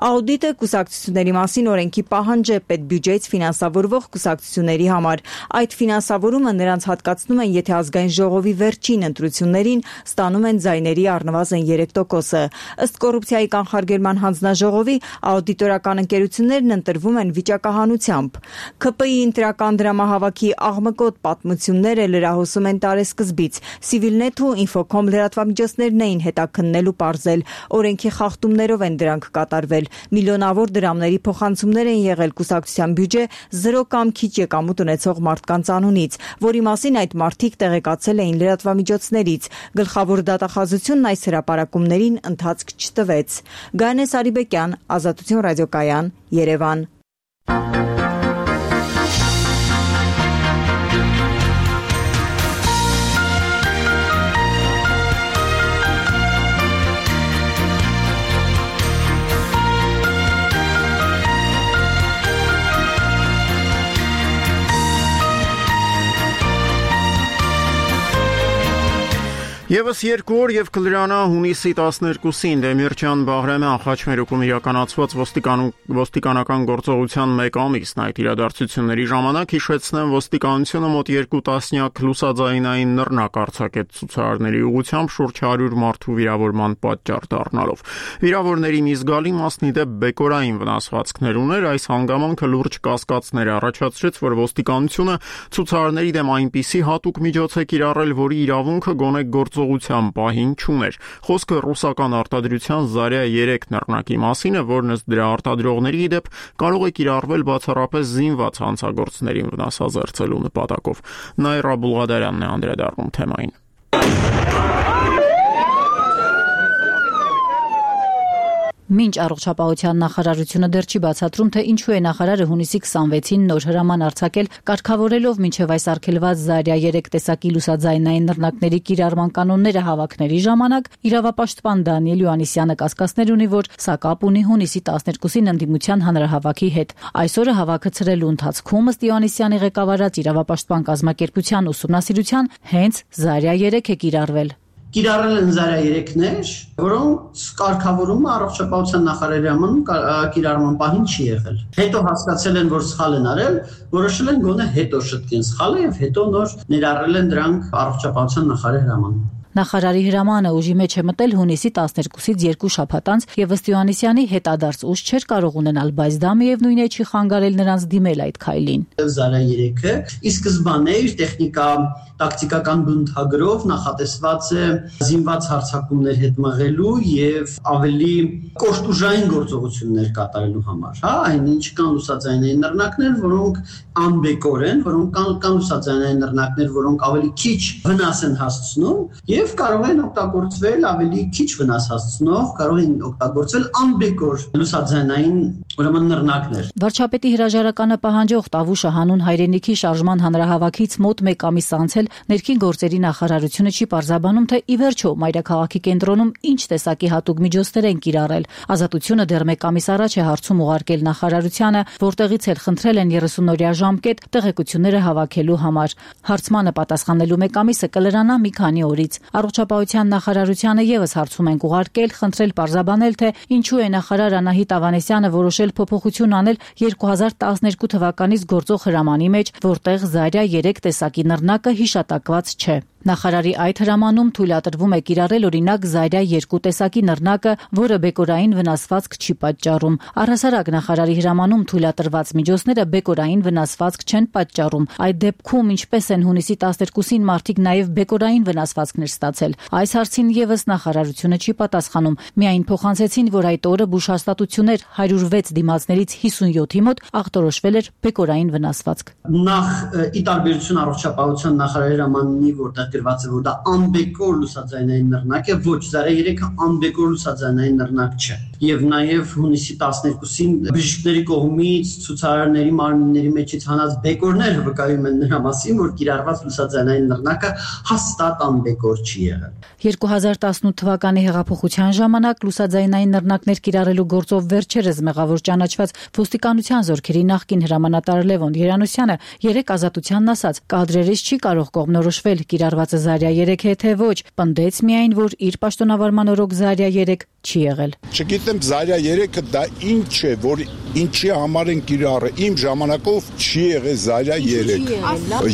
S7: Աուդիտը կուսակցությունների մասին օրենքի պահանջ է պետբյուջեից ֆինանսավորվող կուսակցությունների համար։ Այդ ֆինանսավորումը նրանց հատկացնում են, եթե ազգային ժողովի վերջին ընտրություններին ստանում են ձայների առնվազն երեք տոկոսը։ Ըստ կոռուպցիայի կանխարգելման հանձնաժողովի աուդիտորական ընկերություններն ընտրվում են վիճակահանությամբ։ ՔՊԻ-ի ընտրական դրամահավաքի աղմկոտ պատմությունները լրահոսում են տարեսկզբից։ Civilnet ու Infocom լրատվամիջոցներն էին հետաքննել ու պարզել։ Օրենքի խախտումներով են դրանք կատարվել։ Միլիոնավոր դրամների փոխանցումներ են եղել կուսակցության բյուջե զրո կամ քիչ եկամուտ ունեցող մարդկանց անունից, որի մասին այդ մարդիկ տեղեկացել էին լրատվամիջոցներից։ Գլխավոր դատախազությունն այս հրապարակումներին ընթացք չտվեց։ Գայանե Սարիբեկյան, Ազատություն ռադիոկայան, Երևան։
S1: Եվս երկու օր եւ կլրանա հունիսի տասներկուսին Դեմիրճան Բաղրամյան խաչմերուկում իրականացված ոստիկանական գործողության մեկ ամիսն այդ իրադարձությունների ժամանակ հիշեցնեմ ոստիկանությունը մոտ երկու տասնյակ լուսաձայնային նռնակ արձակեց ցուցարարների ուղղությամբ շուրջ հարյուր մարդու վիրավորման պատճառ դառնալով։ Վիրավորների մի զգալի մասն ի դեպ բեկորային վնասվածքներ ուներ, այս հանգամանքը լուրջ կասկածներ առաջացրեց, որ ոստիկանությունը ցուցարարների դեմ այնպիսի հատուկ միջոց է կիրառել, որի իրավունքը գոնե գործողության պահին չուներ։ Խոսքը ռուսական արտադրության Zarya երեք նռնակի մասին է, որն ըստ դրա արտադրողների դեպ կարող է կիրառվել բացառապես զինված հանցագործներին վնասազերծելու նպատակով։ Նայրա Բուլղադարյանն է անդրադառնում թեմային։
S12: Մինչ առողջապահության նախարարությունը դեռ չի բացատրում, թե ինչու է նախարարը հունիսի քսանվեցին նոր հրաման արձակել, կարգավորելով մինչև այս արգելված Zarya երեք տեսակի լուսաձայնային նռնակների կիրառման կանոնները հավաքների ժամանակ, իրավապաշտպան Դանիել Յոհաննիսյանը կասկածներ ունի, որ սա կապ ունի հունիսի տասներկուսին ընդդիմության հանրահավաքի հետ։ Այսօրը հավաքը ցրելու ընթացքում ըստ Յոհաննիսյանի ղեկավարած իրավապաշտպան կազմակերպության ուսումնասիրության հենց Zarya երեք է կիրառվել։
S21: Կիրառել են Zarya երեքներ, որոնց կարգավորումը առողջապահության նախարարի համանում կիրառման պահին չի եղել։ Հետո հասկացել են, որ սխալ են արել, որոշել են գոնե հետո շտկեն սխալը եւ հետո նոր ներառել են դրանք առողջապահության նախարարի հրամանում։
S12: Նախարարի հրամանը ուժի մեջ է մտել հունիսի տասներկուսից երկու շաբաթ անց եւ ըստ Յոհաննիսյանի հետադարձ ուժ չէր կարող ունենալ, բայց դա միևնույն է չի խանգարել նրանց դիմել այդ քայլին։
S21: Zarya երեքը ի սկզբանե իր տեխնիկա տակտիկական բնութագրով նախատեսված է զինված հարձակումներ հետ մղելու եւ ավելի կոշտուժային գործողություններ կատարելու համար, հա, այնինչ կան լուսաձայնային նռնակներ, որոնք անբեկոր են, որոնք կան, կան լուսաձայնային նռնակներ, որոնք ավելի քիչ վնաս են հասցնում եւ կարող են օգտագործվել ավելի քիչ վնաս հասցնող, կարող են օգտագործվել անբեկոր լուսաձայնային ուրեմն նռնակներ։
S12: Վարչապետի հրաժարականը պահանջող Տավուշը հանուն հայրենիքի շարժման հանրահավաքից մոտ մեկ ամիս անց ներքին գործերի նախարարությունը չի պարզաբանում, թե ի վերջո մայրաքաղաքի կենտրոնում ինչ տեսակի հատուկ միջոցներ են կիրառել։ Ազատությունը դեռ մեկ ամիս առաջ է հարցում ուղարկել նախարարությանը, որտեղից էլ խնդրել են երեսունօրյա ժամկետ տեղեկությունները հավաքելու համար։ Հարցմանը պատասխանելու մեկ ամիսը կլրանա մի քանի օրից։ Առողջապահության նախարարությանը եւս հարցում են ուղարկել, խնդրել պարզաբանել, թե ինչու է նախարար Անահիտ Ավանեսյանը որոշել փոփոխություն անել երկու հազար տասներկու թվականից գործող հրամանի մեջ, որտեղ Zarya երեք տեսակի նռնակը հիշատակված չէ։ Նախարարի այդ հրամանում թույլատրվում է կիրառել օրինակ Zarya երկու տեսակի նռնակը, որը բեկորային վնասվածք չի պատճառում։ Առհասարակ նախարարի հրամանում թույլատրված միջոցները բեկորային վնասվածք չեն պատճառում։ Այդ դեպքում ինչպես են հունիսի տասներկուսին մարդիկ նաև բեկորային վնասվածքներ ստացել։ Այս հարցին եւս նախարարությունը չի պատասխանում։ Միայն փոխանցեցին, որ այդ օրը բուժհաստատություններ հարյուր վեց դիմացներից հիսունյոթի մոտ ախտորոշվել էր բեկորային վնասվածք։
S21: Նախ ի տարբերություն առողջապահության նախարարի հրամանի, որտեղ գրված է, որ դա անբեկոր լուսաձայնային նռնակ է, ոչ, Զարյա երեքը անբեկոր լուսաձայնային նռնակ չէ։ Եվ նաև հունիսի տասներկուսին բժիշկների կողմից ցուցարարների մարմինների մեջից հանած բեկորները վկայում են նրա մասին, որ կիրառված լուսաձայնային նռնակը հաստատ անբեկոր չի եղել։
S12: երկու հազար տասնութ թվականի հեղափոխության ժամանակ լուսաձայնային նռնակներ կիրառելու գործով վերջերս մեղավոր ճանաչված ոստիկանության զորքերի նախկին հրամանատար Լևոն Երանոսյանը երեք ազատությանն ասաց. կադրերից չի կարող կողմնորոշվել կիրառվածը Զարյա երեք է թե ոչ, պնդեց միայն, որ իր պաշտոնավարման օրոք Զարյա երեք չի եղել։
S2: Չգիտեմ Զարյա երեքը դա ինչ է, որ ինչի համար են կիրառը, իմ ժամանակով չի եղել Զարյա երեք։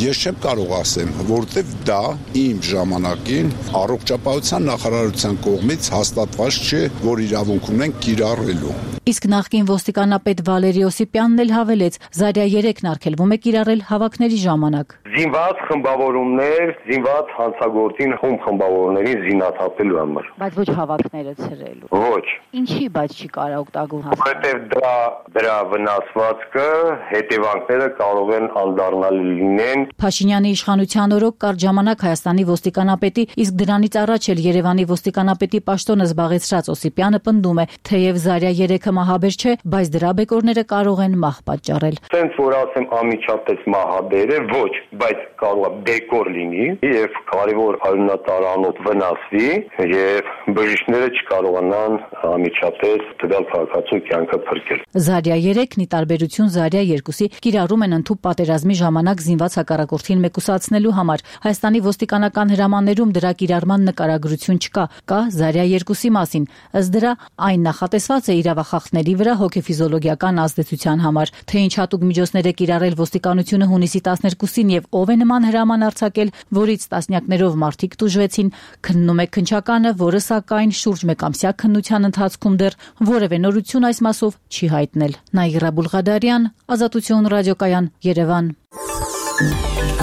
S2: Ես չեմ կարող ասեմ, որտեվ դա իմ ժամանակին առողջապահության նախարարության կողմից հաստատված չէ, որ իրավունք ունեն կիրառելու։
S12: Իսկ նախկին ոստիկանապետ Վալերի Օսիպյանն էլ հավելեց, Զարյա երեքն արգելվում է կիրառել հավաքների ժամանակ։
S22: Զինված խմբավորումներ, զինված հանցագործին խումբ խմբավորներին զինաթափելու համար։
S12: Բայց ոչ հավաքները ցրելու։
S22: Ոչ։
S12: Ինչի՞ բայց չի կարող օգտագործել։
S22: Որովհետև դրա դրա վնասվածքը, հետևանքները կարող են անդառնալի լինեն։
S12: Փաշինյանի իշխանության օրոք կարճ ժամանակ Հայաստանի ոստիկանապետի, իսկ դրանից առաջ էլ Երևանի ոստիկանապետի պաշտոնը զբաղեցրած Օսիպյանը պնդում է, թեև Զարյա երեքը մահաբեր չէ, բայց դրա բեկորները կարող են մահ պատճառել։
S22: Տենց որ ասեմ անմիջապես մահաբեր է, ոչ, բայց կարող է բեկոր լինի եւ կարևոր արյունատարանոթ վնասվի եւ բժիշկները չկարողանան անմիջապես տվյալ քաղաքացու կյանքը փրկել։
S12: Զարյա երեքն ի տարբերություն Զարյա երկուսի կիրառում են ընդհանուր պատերազմի ժամանակ զինված հակառակորդին մեկուսացնելու համար։ Հայաստանի ոստիկանական հրամաններում դրա կիրառման նկարագրություն չկա, կա Զարյա երկուսի մասին։ Ըստ դրա այն նախատեսված է իրավախախտների վրա հոգեֆիզիոլոգիական ազդեցության համար, թե ինչ հատուկ միջոցներ է կիրառել ոստիկանությունը հունիսի տասներկուսին եւ ով է նման հրաման արձակել, որից տասնյակներով մարդիկ տուժվեցին, քննում է քննչականը, որը սակայն շուրջ մեկամսյա քննության ընթացքում դեռ որևէ նորություն այս մասով չի հայտնել։ Նաիրա Բուլղադարյան, Ազատություն ռադիոկայան, Երևան։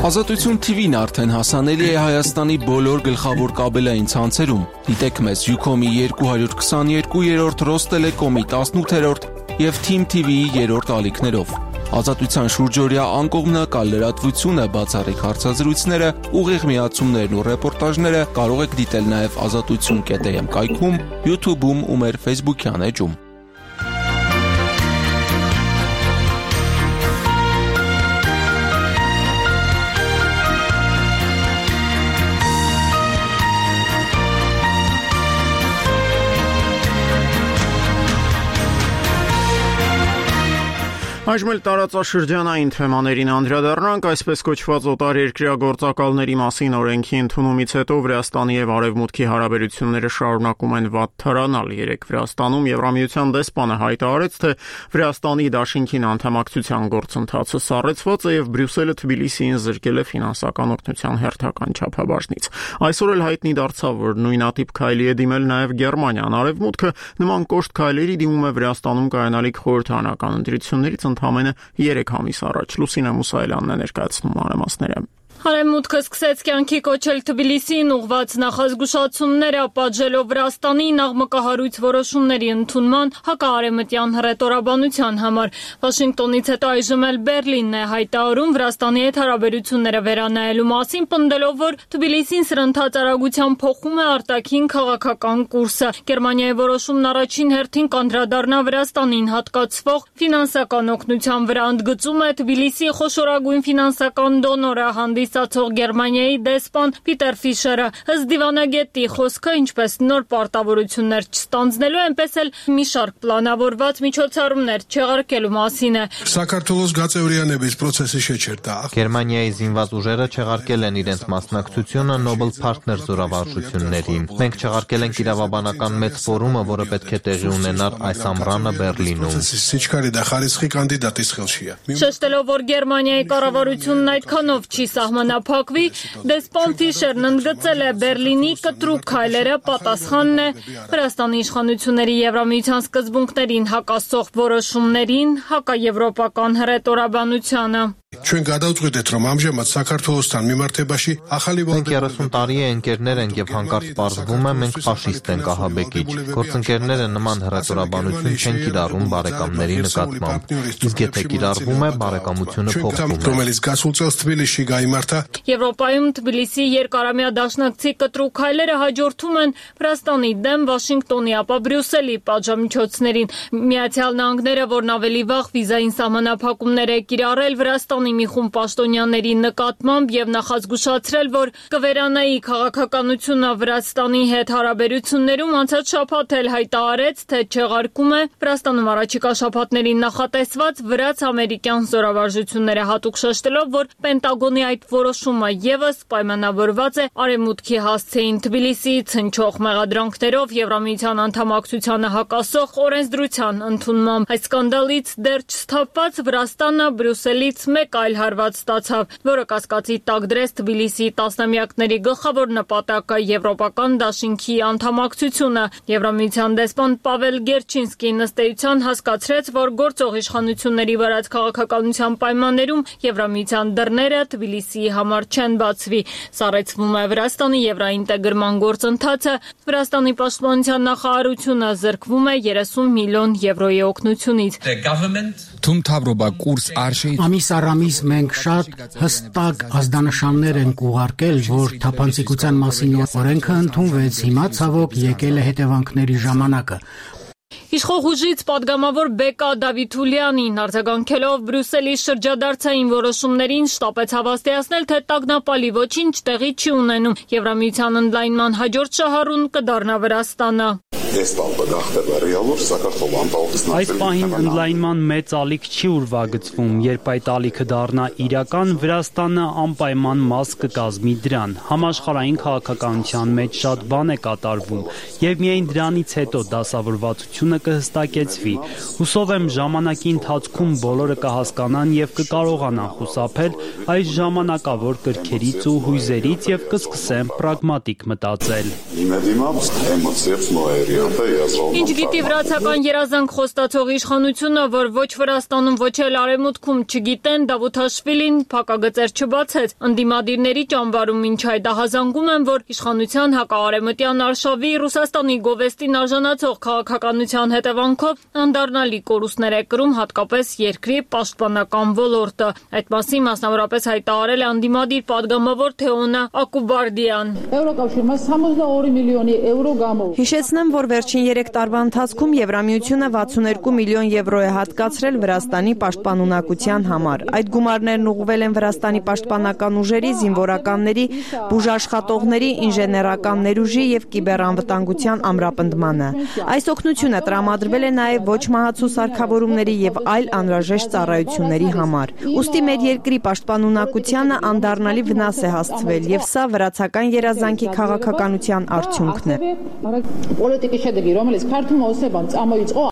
S23: Ազատություն T V-ն արդեն հասանելի է Հայաստանի բոլոր գլխավոր կաբելային ցանցերում։ Դիտեք մեզ Յուքոմի երկու քսաներկու, Ռոստելեկոմի տասնութ եւ Թիմ T V-ի երրորդ ալիքներով։ Ազատության շուրջօրյա անկողմնակալ լրատվությունը, բացառիկ հարցազրույցները, ուղիղ միացումներն ու ռեպորտաժները կարող եք դիտել նաև ազատություն կետ am կայքում, YouTube-ում ու մեր Facebook-յան էջում։
S1: Այժմ էլ տարածաշրջանային թեմաներին անդրադառնանք, այսպես կոչված օտարերկրյա գործակալների մասին օրենքի ընդունումից հետո Վրաստանի եւ Արևմուտքի հարաբերությունները շարունակում են վատթարանալ։ Երեք Վրաստանում Եվրամիության դեսպանը հայտարարեց, թե Վրաստանի դաշինքին անդամակցության գործընթացը սառեցված է եւ Բրյուսելը Թբիլիսիին զրկել է ֆինանսական օգնության հերթական չափաբաժնից։ Այսօր էլ հայտնի դարձավ, որ նույնատիպ քայլի է դիմել նաեւ Գերմանիան։ Արևմուտքը նման կոշտ քայլերի դիմում է Վրաստանում կայանալիք խորհրդարանական ընտրություններից ընդամենը երեք ամիս առաջ։ Լուսինե Մուսայելյանն է ներկայացնում մանրամասները։
S24: Արևմուտքը սկսեց կյանքի կոչել Թբիլիսիին ուղղված նախազգուշացումները, պատժելով Վրաստանի նախմկահարույց որոշումների ընդունման հակաարևմտյան հռետորաբանության համար։ Վաշինգտոնից հետո այժմ էլ Բերլինն է հայտարարում Վրաստանի հետ հարաբերությունները վերանայելու մասին, պնդելով, որ Թբիլիսին սրընթաց արագությամբ փոխում է արտաքին քաղաքական կուրսը։ Գերմանիայի որոշումն առաջին հերթին կանդրադառնա Վրաստանին հատկացվող ֆինանսական օգնության վրա, ընդգծում է Թբիլիսիի խոշորագույն ֆինանսական դոնորը հանդիս Ցածող Գերմանիայի դեսպան Պիտեր Ֆիշերը։ Ըստ դիվանագետի խոսքը, ինչպես նոր պարտավորություններ չստանձնելու, այնպես էլ մի շարք պլանավորված միջոցառումներ չեղարկելու մասին է։
S25: Սակարթովոս գացեորյանեբից process-ը շեչերտա։
S13: Գերմանիայի զինված ուժերը չեղարկել են իրենց մասնակցությունը Nobel Partners զորավարժություններին։ Մենք չեղարկել ենք իրավաբանական մեծ ֆորումը, որը պետք է տեղի ունենար այս ամռանը Բերլինում։
S24: Շեշտելով, որ Գերմանիայի կառավարությունն այդքանով չի սահմանափակվի, դեսպան Ֆիշերն ընդգծել է Բերլինի կտրուկ քայլերը պատասխանն է Վրաստանի իշխանությունների Եվրամիության սկզբունքներին հակասող որոշումներին, հակաեվրոպական հռետորաբանությանը։
S25: Ჩვენ გადავწყვიტეთ, რომ ამჟამად საქართველოსთან მიმართებაში ახალი
S13: Մենք երեսուն տարի է ընկերներ ենք եւ հանկարծ պարզվում է մենք ֆաշիստ ենք ահաբեկիչ։ Գործընկերները նման հռետորաբանություն չեն կիրառում բարեկամների նկատմամբ։ Իսկ եթե կիրառվում է, բարեկամությունը փոխվում է։
S25: Რომელიც գասულ წელს Թբիլիսში გაიმართა
S24: Եվրոպայում Թբիլիսի երկարամյա դաշնակցի կտրուկ քայլերը հաջորդում են Վրաստանի դեմ Վաշինգտոնի, ապա Բրյուսելի պատժամիջոցներին։ Միացյալ Նահանգները, որն ավելի վաղ վիզային սահմանափակումներ է կիրառել Վրաստանի մի խումբ պաշտոնյաների նկատմամբ եւ նախազգուշացրել, որ կվերանայի քաղաքականությունը Վրաստանի հետ հարաբերություններում, անցած շաբաթ էլ հայտարարեց, թե չեղարկում է Վրաստանում առաջիկա շաբաթներին նախատեսված վրաց-ամերիկյան զորավարժությունները, հատուկ շեշտելով, որ Պենտագոնի այդ որոշումը եւս պայմանավորված է Արևմուտքի հասցեին Թբիլիսիից հնչող մեղադրանքներով Եվրամիության անդամակցությանը հակասող օրենսդրության ընդունմամբ։ Այս սկանդալից դեռ չսթափված Վրաստանը Բրյուսելից մեկ այլ հարված ստացավ, որը կասկածի տակ դրեց Թբիլիսիի տասնամյակների գլխավոր նպատակը Եվրոպական դաշինքի անդամակցությունը։ Եվրամիության դեսպան Պավել Գերչինսկին ըստ էության հասկացրեց, որ գործող իշխանությունների վարած քաղաքականության պայմաններում Եվրամիության դռները Թբիլիսիի համար չեն բացվի։ Սառեցվում է Վրաստանի եվրաինտեգրման գործընթացը։ Վրաստանի պաշտպանության նախարարությունը զրկվում է երեսուն միլիոն եվրոյի օգնությունից։
S3: Թումթավրոբա կուրս արշի Ամիս առամիս մենք շատ հստակ ազդանշաններ ենք ուղարկել, որ թափանցիկության մասին օրենքը ընդունվեց, հիմա ցավոք եկել է հետևանքների ժամանակը։
S24: Իշխող ուժից պատգամավոր Բեկա Դավիթուլյանին արձագանքելով Բրյուսելի շրջադարձային որոշումներին շտապեց հավաստիացնել, թե տագնապալի ոչինչ տեղի չի ունենում։ Եվրամիության ընդլայնման հաջորդ շահառուն կդառնա Վրաստանը։
S4: Այս պահին ընդլայնման մեծ ալիք չի ուրվագծվում, երբ այդ ալիքը դառնա իրական, Վրաստանը անպայման մաս կկազմի դրան։ Համաշխարհային քաղաքականության մեջ շատ բան է կատարվում, եւ միայն դրանից հետո դասավորվածությունը կհստակեցվի։ Հուսով եմ ժամանակի ընթացքում բոլորը կհասկանան եւ կկարողանան խուսափել այս ժամանակավոր կրքերից ու հույզերից եւ կսկսեն պրագմատիկ մտածել։
S24: Ինչ գիտի վրացական երազանք խոստացող իշխանությունը, որ ոչ Վրաստանում, ոչ էլ Արևմուտքում չգիտեն, Դավութաշվիլին փակագծեր չբացեց։ Ընդդիմադիրների ճամբարում մինչ այդ ահազանգում են, որ իշխանության հակաարևմտյան արշավի Ռուսաստանի գովեստին արժանացող քաղաքականության հետևանքով անդառնալի կորուստներ է կրում հատկապես երկրի պաշտպանական ոլորտը։ Այդ մասին մասնավորապես հայտարարել է անդիմադիր պատգամավոր Թեոնա Ակուբարդյան։
S7: Հիշեցնեմ, որ վերջին երեք տարվա ընթացքում Եվրամիությունը վաթսունհերկու միլիոն եվրո է հատկացրել Վրաստանի պաշտպանունակության համար։ Այդ գումարներն ուղղվել են Վրաստանի պաշտպանական ուժերի, զինվորականների, բուժաշխատողների, ինժեներական ներուժի եւ կիբերանվտանգության ամրապնդմանը։ Այս օգնությունը տրամադրվել է նաեւ ոչ մահացու սարքավորումների եւ այլ անհրաժեշտ ծառայությունների համար։ Ուստի մեր երկրի պաշտպանունակությանը անդառնալի վնաս է հասցվել եւ սա վրացական երազանքի քաղաքականության արդյունքն է։
S5: Պոլիտիկի շեդգի, რომელიც քարտում օսեբան ծամոյից օ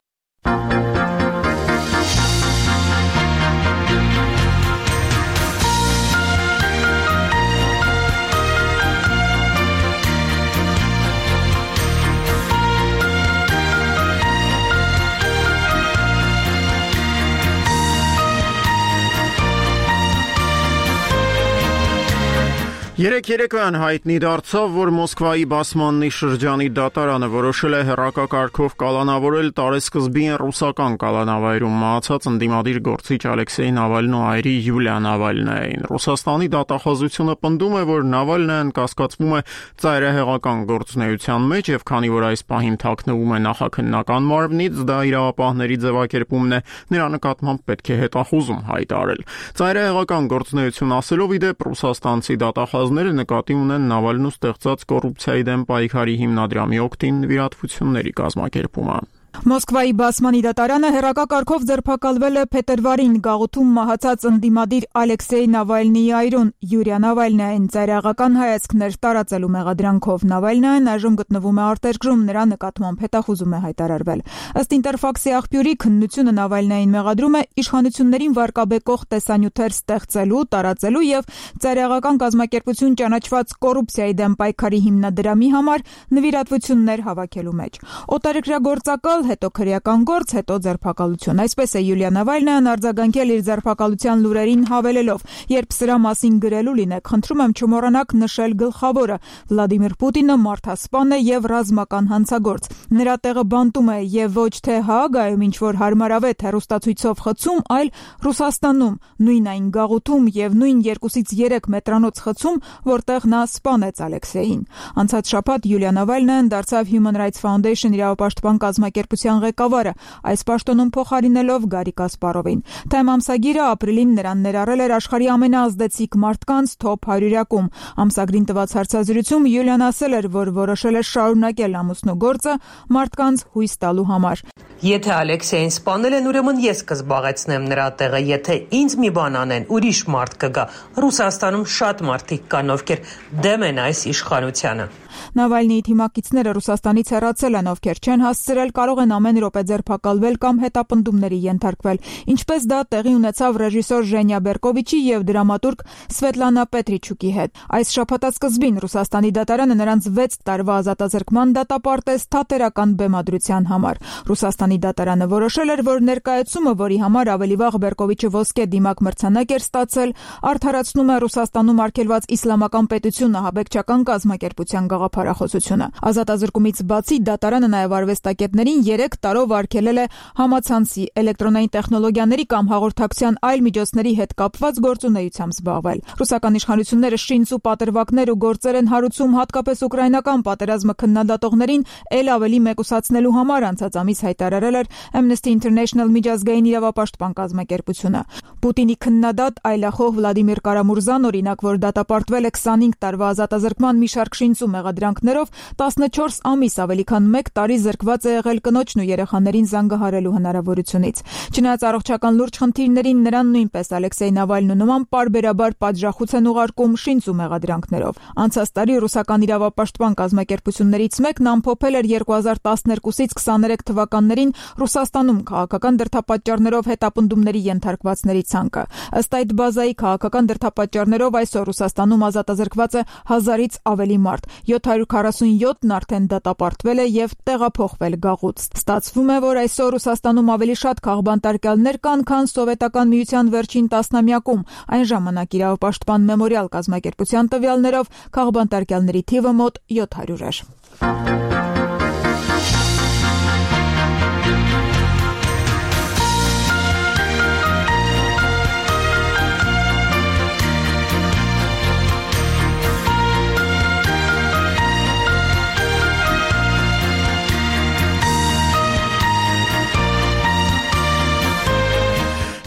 S1: Երեք երեկոյան հայտնի դարձավ, որ Մոսկվայի Բասմաննի շրջանի դատարանը որոշել է հեռակակարգով կալանավորել տարեսկզբին ռուսական կալանավայրում մահացած ընդդիմադիր գործիչ Ալեքսեյ Նավալնու այրի Յուլիա Նավալնային։ Ռուսաստանի դատախազությունը պնդում է, որ Նավալնայան կասկածվում է ծայրահեղական գործունեության մեջ եւ քանի որ այս պահին թաքնվում է նախաքննական մարմնից, դա իրավապահների ձևակերպումն է, նրա նկատմամբ պետք է հետախուզում հայտարարել։ Ծայրահեղական գործունեություն ասելով իդեպ ռուսաստանցի դատախազ Ները նկատի ունեն Նավալնու ստեղծած կոռուպցիայի դեմ պայքարի հիմնադրամի օգտին նվիրատվությունների կազմակերպումը։
S6: Մոսկվայի Բասմանի դատարանը հեռակակարգով ձերբակալվել է փետրվարին գաղութում մահացած ընդդիմադիր Ալեքսեյ Նավալնիի այրուն Յուրիա Նավալնային ծայրահեղական հայացքներ տարածելու մեղադրանքով։ Նավալնային այժմ գտնվում է արտերկրում, նրա նկատմամբ հետախուզում է հայտարարվել։ Ըստ Ինտերֆաքսի աղբյուրի, քննությունը Նավալնային մեղադրում է իշխանություններին վարկաբեկող տեսանյութեր ստեղծելու, տարածելու եւ ծայրահեղական կազմակերպություն ճանաչված կոռուպցիայի դեմ պայքարի հիմնադրամի համար նվիրատվություններ հավաքելու մեջ։ Օտարերկրյա գործակալ տալ, հետո քրեական գործ, հետո ձերբակալություն։ Այսպես է Յուլիա Նավալնյան արձագանքել իր ձերբակալության լուրերին, հավելելով. «Երբ սրա մասին գրելու լինեք, խնդրում եմ չմոռանաք նշել գլխավորը. Վլադիմիր Պուտինը մարդասպան է եւ ռազմական հանցագործ։ Նրա տեղը բանտում է եւ ոչ թե Հաագայում ինչ որ հարմարավետ հեռուստացույցով խցում, այլ Ռուսաստանում, նույն այն գաղութում եւ նույն երկուսից երեք մետրանոց խցում, որտեղ նա սպանեց Ալեքսեյին»։ Անցած շաբաթ Յուլիա Նավալնյան դարձավ Human Rights Foundation իրավապաշտպան կազմակերպության ղեկավարը, այս պաշտոնում փոխարինելով Գարի Կասպարովին։ Time ամսագիրը ապրիլին նրան ներառել էր աշխարհի ամենաազդեցիկ մարդկանց թոփ հարյուրյակում։ Ամսագրին տված հարցազրույցում Յուլիան ասել էր, որ որոշել է շարունակել ամուսնու գործը մարդկանց հույս տալու համար։
S8: Եթե Ալեքսեյին սպանել են, ուրեմն ես կզբաղեցնեմ նրա տեղը, եթե ինձ մի բան անեն, ուրիշ մարդ կգա։ Ռուսաստանում շատ մարդիկ կան, ովքեր դեմ են այս իշխանությանը։
S6: Նավալնիի թիմակիցները Ռուսաստանից հեռացել են, ովքեր չեն հասցրել, կարող են ամեն րոպե ձերբակալվել կամ հետապնդումների ենթարկվել։ Ինչպես դա տեղի ունեցավ ռեժիսոր Ժենյա Բերկովիչի եւ դրամատուրգ Սվետլանա Պետրիչուկի հետ։ Այս շաբաթասկզբին Ռուսաստանի դատարանը նրանց վեց տարվա ազատազրկման դատապարտեց թատերական բեմադրության համար։ Ռուսաստանի դատարանը որոշել էր, որ ներկայացումը, որի համար ավելի վաղ Բերկովիչը ոսկե դիմակ մրցանակ էր ստացել, արդարացնում է Ռուսաստանում արգելված իսլամական պետություն ահաբեկչական կազմակերպության գաղափարախոսությունը։ Ազատազրկումից բացի դատարանը նաև արվեստագետներին երեք տարով արգելել է համացանցի, էլեկտրոնային տեխնոլոգիաների կամ հաղորդակցության այլ միջոցների հետ կապված գործունեությամբ զբաղվել։ Ռուսական իշխանությունները շինց ու պատրվակներ ու գործեր են հարուցում հատկապես ուկրաինական պատերազմը քննադատողներին ել ավելի մեկուսացնելու համար, անցած ամիս հայտարարել էր Amnesty International միջազգային իրավապաշտպան կազմակերպությունը։ Պուտինի քննադատ այլախոհ Վլադիմիր Կարամուրզան, օրինակ, որ դատապարտվել է քսանհինգ տարվա ազատազրկման մի շարք շինց ու մեղադրանքներով, տասնչորս ամիս ավելի քան մեկ տարի զրկված է եղել կնոջն ու երեխաներին զանգահարելու հնարավորությունից։ Չնայած առողջական լուրջ խնդիրներին, նրան նույնպես Ալեքսեյ Նավալնու նման պարբերաբար պատժախոց են ուղարկում շինց ու մեղադրանքներով։ Անցած տարի ռուսական իրավապաշտպան կազմակերպություններից մեկն ամփոփել էր երկու հազար տասներկուսից քսաներեք թվականներին Ռուսաստանում քաղաքական դրդապատճառներով հետապնդումների ենթարկվածների ցանկը։ Ըստ այդ բազայի քաղաքական դրդապատճառներով այսօր Ռուսաստանում ազատազրկված է հազարից ավելի մարդ, յոթ հարյուր քառասունյոթն արդեն դատապարտվել է եւ տեղափոխվել գաղութ։ Ստացվում է, որ այսօր Ռուսաստանում ավելի շատ քաղբանտարկյալներ կան, քան Սովետական միության վերջին տասնամյակում։ Այն ժամանակ իրավապաշտպան մեմորիալ կազմակերպության տվյալներով քաղբանտարկյալների թիվը մոտ յոթ հարյուր էր։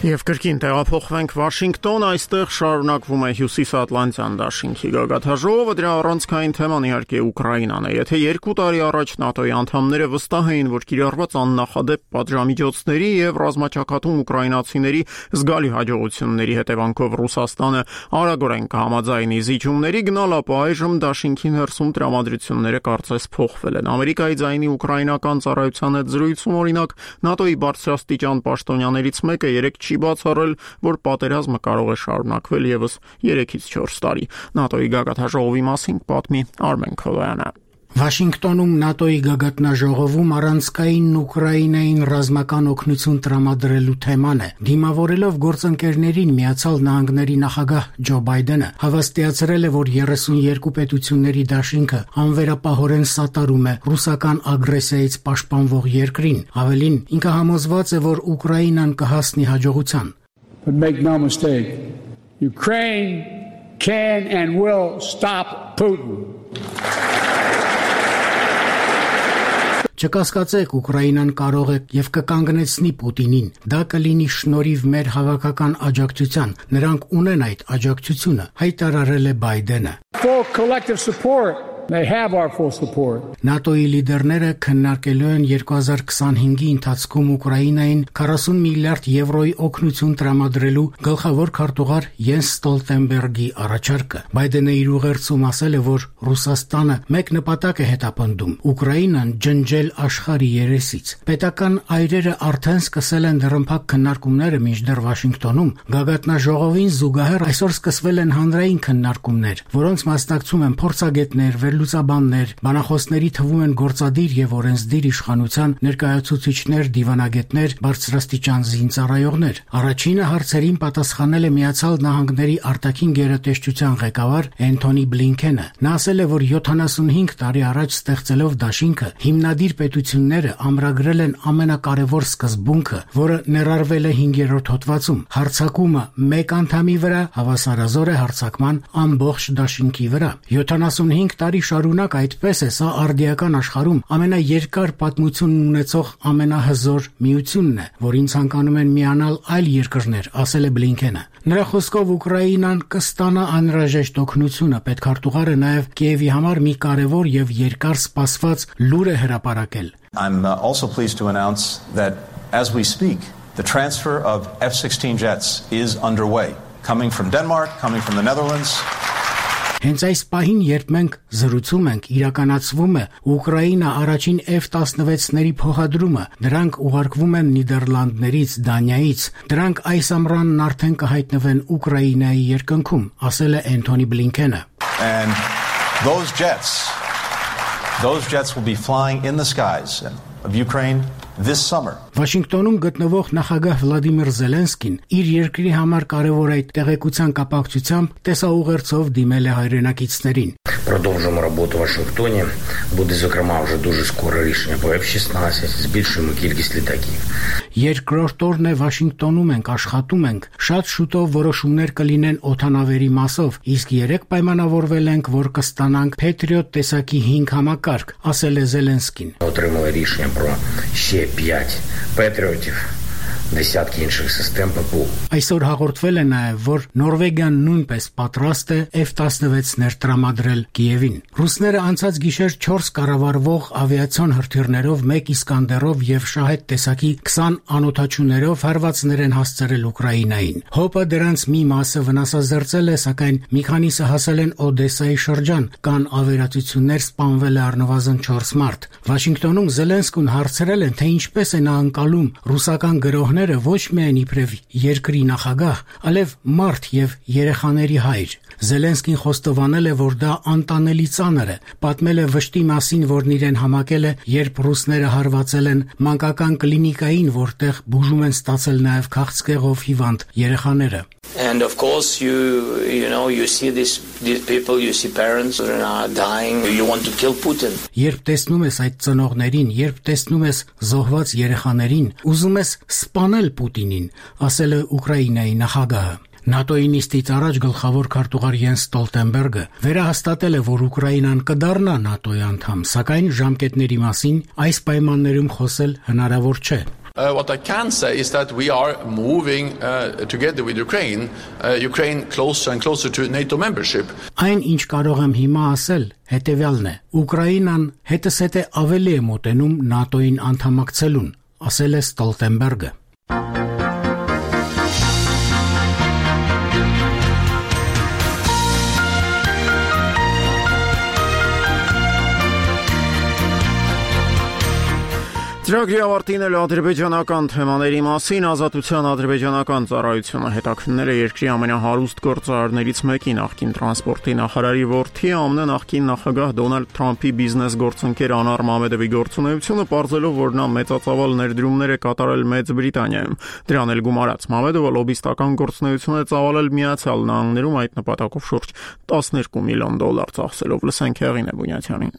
S1: Եվ կրկին տեղափոխվենք Վաշինգտոն, այստեղ շարունակվում է Հյուսիսատլանտյան դաշինքի գագաթաժողովը, դրա առանցքային թեման իհարկե Ուկրաինան է։ Եթե երկու տարի առաջ ՆԱՏՕ-ի անդամները վստահ էին, որ կիրառված աննախադեպ պատժամիջոցների եւ ռազմաճակատում ուկրաինացիների զգալի հաջողությունների հետևանքով Ռուսաստանը արագորեն կհամաձայնի զիջումների գնալ, ապա այժմ դաշինքի ներսում տրամադրությունները կարծես փոխվել են։ Ամերիկայի ձայնի ուկրաինական ծառայության հետ զրույցում, օրինակ, ՆԱՏՕ-ի բարձրաստիճան պաշտոնյաներից մեկը երեք չի բացառել, որ պատերազմը կարող է շարունակվել եւս երեքից չորս տարի։ ՆԱՏՕ-ի գագաթաժողովի մասին պատմի Արմեն Քովյանը։
S3: Վաշինգտոնում ՆԱՏՕ-ի գագաթնաժողովում առանցքային Ուկրաինային ռազմական օգնություն տրամադրելու թեման է։ Դիմավորելով գործընկերներին Միացյալ Նահանգների նախագահ Ջո Բայդենը հավաստիացրել է, որ երեսունյերկու պետությունների դաշինքը անվերապահորեն սատարում է ռուսական ագրեսիայից պաշտպանվող երկրին։ Ավելին, ինքը համոզված է, որ Ուկրաինան կհասնի հաջողության։
S9: But make no mistake, Ukraine can and will stop Putin.
S3: Չկասկածեք, Ուկրաինան կարող է եւ կկանգնեցնի Պուտինին։ Դա կլինի շնորհիվ մեր հավաքական աջակցության։ Նրանք ունեն այդ աջակցությունը, հայտարարել է Բայդենը։
S9: Full collective support. They have our full support.
S3: ՆԱՏՕ-ի լիդերները քննարկելու են երկու հազար քսանհինգի ընթացքում Ուկրաինային քառասուն միլիարդ եվրոյի օգնություն տրամադրելու գլխավոր քարտուղար Յենս Ստոլտենբերգի առաջարկը։ Բայդենը իր ուղերձում ասել է, որ Ռուսաստանը մեկ նպատակ է հետապնդում՝ Ուկրաինան ջնջել աշխարհի երեսից։ Պետական այրերը արդեն սկսել են դռնփակ քննարկումները, մինչդեռ Վաշինգտոնում գագաթնաժողովին զուգահեռ այսօր սկսվել են հանրային քննարկումներ, որոնց մասնակցում են փորձագետներ, վերլուծաբաններ, բանախոսների թվում են գործադիր եւ օրենսդիր իշխանության ներկայացուցիչներ, դիվանագետներ, բարձրաստիճան զինծառայողներ։ Առաջինը հարցերին պատասխանել է Միացյալ Նահանգների արտաքին գերատեսչության ղեկավար Էնթոնի Բլինքենը։ Նա ասել է, որ յոթանասունհինգ տարի առաջ ստեղծելով դաշինքը, հիմնադիր պետությունները ամրագրել են ամենակարևոր սկզբունքը, որը ներառվել է հինգերորդ հոդվածում։ Հարձակումը մեկ անդամի վրա հավասարազոր է հարձակման ամբողջ դաշինքի վրա։ յոթանասունհինգ տարի շարունակ այդպես է, սա արդիական աշխարհում ամենաերկար պատմությունն ունեցող ամենահզոր միությունն է, որին ցանկանում են միանալ այլ երկրներ, ասել է Բլինքենը։ Նրա խոսքով Ուկրաինան կստանա անհրաժեշտ օգնությունը, պետքարտուղարը նաև Կիևի համար մի կարևոր եւ երկար սպասված լուր է հրապարակել։
S10: I'm also pleased to announce that as we speak, the transfer of F sixteen jets is underway, coming from Denmark, coming from the Netherlands.
S3: Հենց այս պահին, երբ մենք զրուցում ենք, իրականացվում է Ուկրաինա առաջին F տասնվեցների փոխադրումը։ Դրանք ուղարկվում են Նիդերլանդներից, Դանիայից։ Դրանք այս ամռանն արդեն կհայտնվեն Ուկրաինայի երկնքում, ասել է Էնթոնի Բլինքենը։
S10: And those jets, those jets will be flying in the skies of Ukraine this summer.
S3: Վաշինգտոնում գտնվող նախագահ Վլադիմիր Զելենսկին իր երկրի համար կարևոր այդ տեղեկության կապակցությամբ տեսաուղերձով դիմել է հայրենակիցներին։
S11: Продовжуємо роботу в Вашингтоні. Буде, зокрема, вже дуже скоро рішення по F шістнадцять, збільшуємо кількість літаків.
S3: Երկրորդ օրն է Վաշինգտոնում ենք, աշխատում ենք։ Շատ շուտով որոշումներ կլինեն օդանավերի մասով, իսկ երեք պայմանավորվել ենք, որ կստանանք Patriot տեսակի հինգ համակարգ, ասել է Զելենսկին։
S11: Отримали рішення про ще п'ять Patriotів. Դեսյատքի інших систем ППУ։
S3: Այսօր հաղորդվել է նաև, որ Նորվեգիան նույնպես պատրաստ է F տասնվեցներ տրամադրել Կիևին։ Ռուսները անցած գիշեր չորս կառավարվող ավիացիոն հրթիռներով, մեկ Իսկանդերով եւ Շահեդ տեսակի քսան անօդաչուներով հարվածներ են հասցրել Ուկրաինային։ ՀՕՊ-ը դրանց մի մասը վնասազերծել է, սակայն մի քանիսը հասել են Օդեսայի շրջան, կան ավերածություններ, սպանվել է առնվազն չորս մարդ։ Վաշինգտոնում Զելենսկուն հարցրել են, թե ինչպես է նա ընկալում ռուսական գրոհները ոչ միայն իբրև երկրի նախագահ, այլև մարդ եւ երեխաների հայր։ Զելենսկին խոստովանել է, որ դա անտանելի ծանր է, պատմել է վշտի մասին, որն իրեն համակել է, երբ ռուսները հարվածել են մանկական կլինիկային, որտեղ բուժում են ստացել նաև քաղցկեղով հիվանդ երեխաները։
S14: And of course you you know you see this these people, you see parents who are dying, you want to kill Putin.
S3: Երբ տեսնում ես այդ ծնողներին, երբ տեսնում ես զոհված երեխաներին, ուզում ես սպանել Պուտինին, ասել է Ուկրաինայի նախագահը։ ՆԱՏՕ-ի նիստից առաջ գլխավոր քարտուղար Յենս Ստոլտենբերգը վերահաստատել է, որ Ուկրաինան կդառնա ՆԱՏՕ-ի անդամ, սակայն ժամկետների մասին այս պայմաններում խոսել հնարավոր չէ։
S15: Uh, what I can say is that we are moving uh, together with Ukraine, uh, Ukraine closer and closer to NATO membership.
S3: Այն ինչ կարող եմ հիմա ասել, հետևյալն է. Ուկրաինան հետսեթե ավելի է մոտենում ՆԱՏՕ-ին անդամակցելուն, ասել է Ստոլտենբերգը։
S1: Ծրագրի ավարտին էլ ադրբեջանական թեմաների մասին ազատության ադրբեջանական ծառայությունը հետաքննել է երկրի ամենահարուստ գործարարներից մեկի նախկին տրանսպորտի նախարարի որդի ԱՄՆ նախկին նախագահ Դոնալդ Թրամփի բիզնես գործընկեր Անար Մամեդովի գործունեությունը, պարզելով, որ նա մեծածավալ ներդրումներ է կատարել Մեծ Բրիտանիայում։ Դրան էլ գումարած Մամեդովը լոբիստական գործունեություն է ծավալել Միացյալ Նահանգներում, այդ նպատակով շուրջ տասներկու միլիոն դոլար ծախսելով։ Լսենք Հեղինե Բունյաթյանին։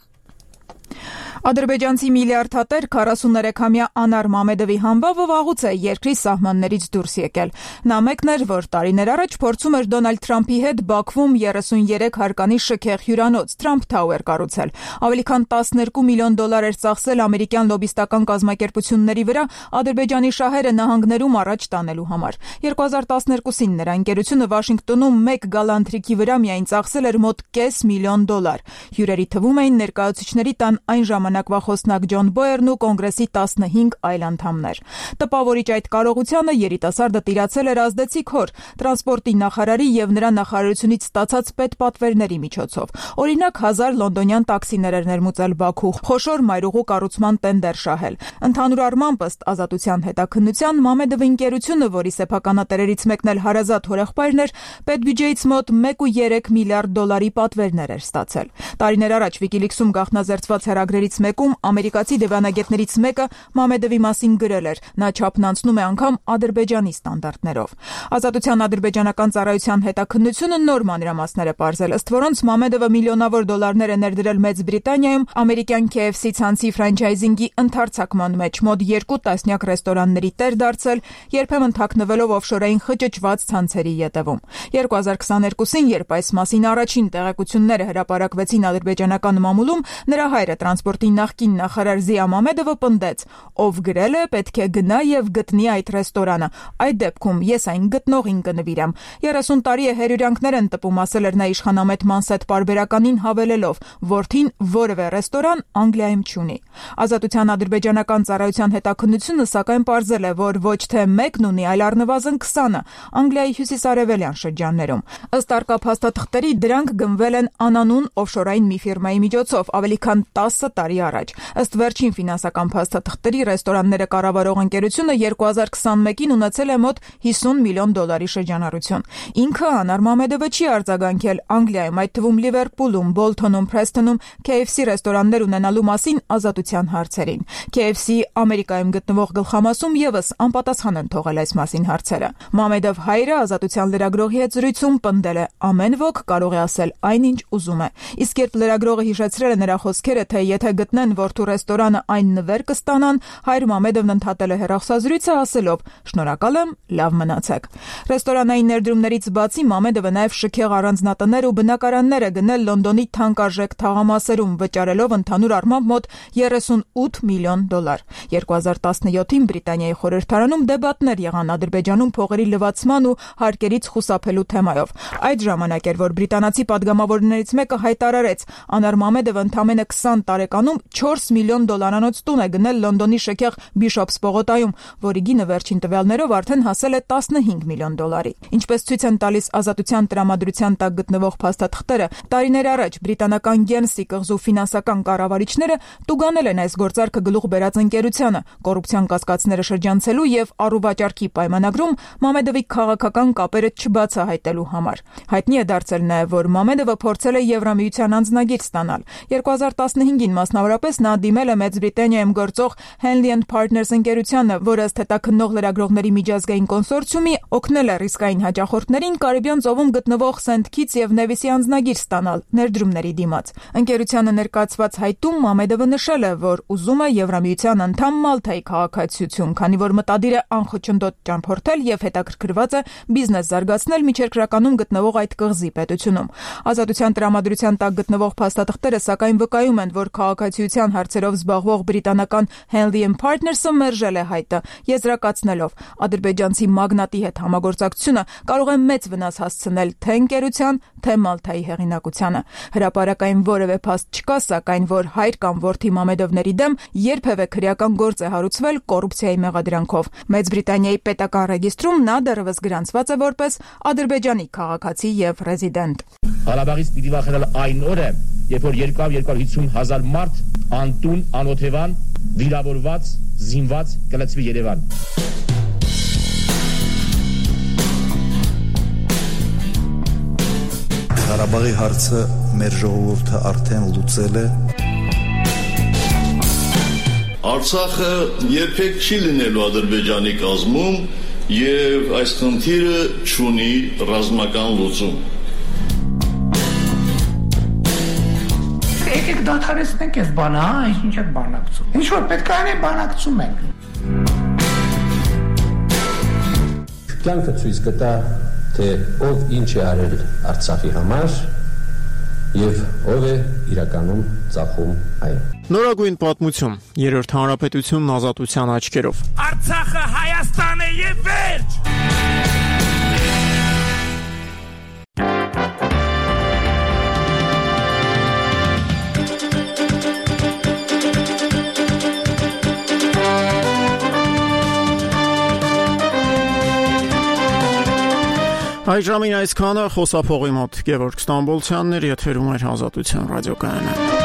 S6: Ադրբեջանցի միլիարդատեր քառասուներեքամյա Անար Մամեդովի համբավը վաղուց է երկրի սահմաններից դուրս եկել։ Նա մեկն էր, որ տարիներ առաջ փորձում էր Դոնալդ Թրամփի հետ Բաքվում երեսունյերեք հարկանի շքեղ հյուրանոց Trump Tower կառուցել։ Ավելի քան տասներկու միլիոն դոլար էր ծախսել ամերիկյան լոբիստական կազմակերպությունների վրա Ադրբեջանի շահերը նահանգներում առաջ տանելու համար։ երկու հազար տասներկուսին նրա ընկերությունը Վաշինգտոնում մեկ գալանթրիկի վրա միայն ծախսել էր մոտ կես միլիոն դոլար։ Հյուրերի թվում էին ներկայացուցիչների տան այն ժամանակ ժամանակվա խոսնակ Ջոն Բոերն ու կոնգրեսի տասնհինգ այլ անդամներ։ Տպավորիչ այդ կարողությանը երիտասարդը տիրացել էր ազդեցիկ հոր, տրանսպորտի նախարարի եւ նրա նախարարությունից ստացած պետպատվերների միջոցով։ Օրինակ, հազար լոնդոնյան տաքսիներ էր ներմուծել Բաքու, խոշոր մայրուղու կառուցման տենդեր շահել։ Ընդհանուր առմամբ, ըստ Ազատության հետաքննության, Մամեդովի ընկերությունը, որի սեփականատերերից մեկն էլ հարազատ հորեղբայրն էր, պետբյուջեից մոտ մեկ կόμμα երեք միլիարդ դոլարի պատվերներ էր ստացել։ Տարիներ առաջ Wikileaks-ում գաղտնազերծված հեռագրերից մեկում ամերիկացի դիվանագետներից մեկը Մամեդովի մասին գրել էր. նա չափն անցնում է անգամ Ադրբեջանի ստանդարտներով։ Ազատության ադրբեջանական ծառայության հետաքննությունը նոր մանրամասներ է պարզել, ըստ որոնց Մամեդովը միլիոնավոր դոլարներ է ներդրել Մեծ Բրիտանիայում ամերիկյան K F C ցանցի ֆրանչայզինգի ընդարձակման մեջ, մոտ երկու տասնյակ ռեստորանների տեր դարձել, երբեմն թաքնվելով օֆշորային խճճված ցանցերի ետևում։ երկու հազար քսաներկուսին, երբ այս մասին առաջին տեղեկությունները հրապարակվեցին ադրբեջանական մամուլում, նրա հայրը տրանսպորտի նախկին նախարար Զիա Մամեդովը պնդեց. ով գրել է, պետք է գնա եւ գտնի այդ ռեստորանը։ Այդ դեպքում ես այն գտնողին կնվիրեմ։ երեսուն տարի է հերյուրյանքներ են տպում, ասել էր նա իշխանամետ Մանսետ պարբերականին հավելելով, որդին որևէ ռեստորան Անգլիայում չունի։ Ազատության ադրբեջանական ծառայության հետաքննությունը սակայն պարզել է, որ ոչ թե մեկն ունի, այլ առնվազն քսանը Անգլիայի հյուսիսարևելյան շրջաններում։ Ըստ արկա փաստաթղթերի, դրանք գնվել են անանուն օֆշորային մի ֆիրմայի միջոցով ավելի քան տասը տարի առաջ։ Ըստ վերջին ֆինանսական փաստաթղթերի, ռեստորանները կառավարող ընկերությունը երկու հազար քսանմեկին ունեցել է մոտ հիսուն միլիոն դոլարի շրջանառություն։ Ինքը Անար Մամեդովը չի արձագանքել Անգլիայում, այդ թվում Լիվերպուլում, Բոլթոնում, Փրեսթոնում K F C ռեստորաններ ունենալու մասին ազատության հարցերին։ K F C Ամերիկայում գտնվող գլխամասում եւս անպատասխան են թողել այս մասին հարցերը։ Մամեդով հայրը ազատության լրագրողի հետ զրույցում պնդել է. ամեն ոք կարող է ասել այնինչ ուզում է։ Իսկ երբ լրագրողը հիշեցրել է նրա խոսքերը, թե եթե գտնեն որդու ռեստորանը, այն նվեր կստանան, հայր Մամեդովն ընդհատել է հեռախոսազրույցը ասելով. շնորհակալ եմ, լավ մնացեք։ Ռեստորանային ներդրումներից բացի Մամեդովը նաև շքեղ առանձնատներ ու բնակարաններ է գնել Լոնդոնի թանկարժեք թաղամասերում, վճարելով ընդհանուր առմամբ մոտ երեսունութ միլիոն դոլար։ երկու հազար տասնյոթին Բրիտանիայի խորհրդարանում դեբատներ եղան Ադրբեջանում փողերի լվացման ու հարկերից խուսափելու թեմայով։ Այդ ժամանակ էր, որ բրիտանացի падգամավորներից մեկը հայտարարեց. Անար Մամեդովը ընդամենը քսան տարեկանում չորս միլիոն դոլարանոց տուն է գնել Լոնդոնի շքեղ Բիշոփս պողոտայում, որի գինը վերջին տվյալներով արդեն հասել է տասնհինգ միլիոն դոլարի։ Ինչպես ցույց են տալիս ազատության տրամադրության տակ գտնվող փաստաթղթերը, տարիներ առաջ բրիտանական Գերնսի կղզու ֆինանսական կառավարիչները տուգանել են այս գործարքը գլուխ բերած ընկերությանը, կոռուպցիան կասկածները շրջանցելու եւ առուվաճառքի պայմանագրում Մամեդովի քաղաքական կապերը չբացահայտելու համար։ Հայտնի է դարձել նաեւ, որ Մամեդովը փորձել է Եվրամիության անձնագիր ստանալ։ երկու հազար տասնհինգին մասնավորապես նա դիմել է Մեծ Բրիտանիայում գործող Henley and Partners ընկերությանը, որը ըստ հետաքննող լրագրողների միջազգային կոնսորցիումի օգնել է ռիսկային հաճախորդներին Կարիբյան ծովում գտնվող Սենթ Քիթս եւ Նևիսի անձնագիր ստանալ ներդրումների դիմաց։ Ընկերությանը ներկայացված հայտում Մամեդովը նշել է, որ ուզում է Եվրամիության անդամ Մալթայի քաղաքացիություն, քանի որ մտադիր է անխոչնդոտ ճամփորդել եւ հետաքրքրված է բիզնես զարգացնել միջերկրականում գտնվող այդ կղզի պետությունում։ Ազատության տրամադրության տակ գտնվող փաստաթղթերը սակայն վկայում են, որ քաղաքացիության հարցերով զբաղվող բրիտանական Henley and Partners-ը մերժել է հայտը, եզրակացնելով. ադրբեջանցի մագնատի հետ համագործակցությունը կարող է մեծ վնաս հասցնել թե ընկերության, թե Մալթայի հեղինակությանը։ Հրապարակային որևէ փաստ չկա, սակայն որ հայր կամ որդի Մամեդովների դեմ երբևէ քրեական գործ է հարուցվել կոռուպցիայի մեղադրանքով։ Մեծ Բրիտանիայի պետական ռեգիստրում նա դեռևս գրանցված է որպես Ադրբեջանի քաղաքացի եւ ռեզիդենտ։
S16: Ղարաբաղից պիտի վախենալ այն օրը, երբ որ երկու հարյուր հիսուն հազար մարդ անտուն, անօթևան, վիրավորված, զինված կլցվի Երևան։
S17: Ղարաբաղի հարցը մեր ժողովուրդը արդեն լուծել է։
S18: Արցախը երբեք չի լինելու Ադրբեջանի կազմում եւ այս խնդիրը չունի ռազմական լուծում։
S19: Եկեք դադարեցնենք այս բանը, հա, ինչ եք բանակցում։ Ինչ որ պետք է անենք, բանակցում ենք։
S20: Կյանքը ցույց կտա, թե ով ինչ է արել Արցախի համար եւ ով է իրականում ծախում այն։
S1: Նորագույն պատմություն, երրորդ հանրապետությունն ազատության աչքերով։
S19: Արցախը Հայաստան է եւ վերջ։
S1: Այժմին այսքանը խոսափողի մոտ Գևորգ Ստամբոլցյանն էր, եթերում էր Ազատության ռադիոկայանը։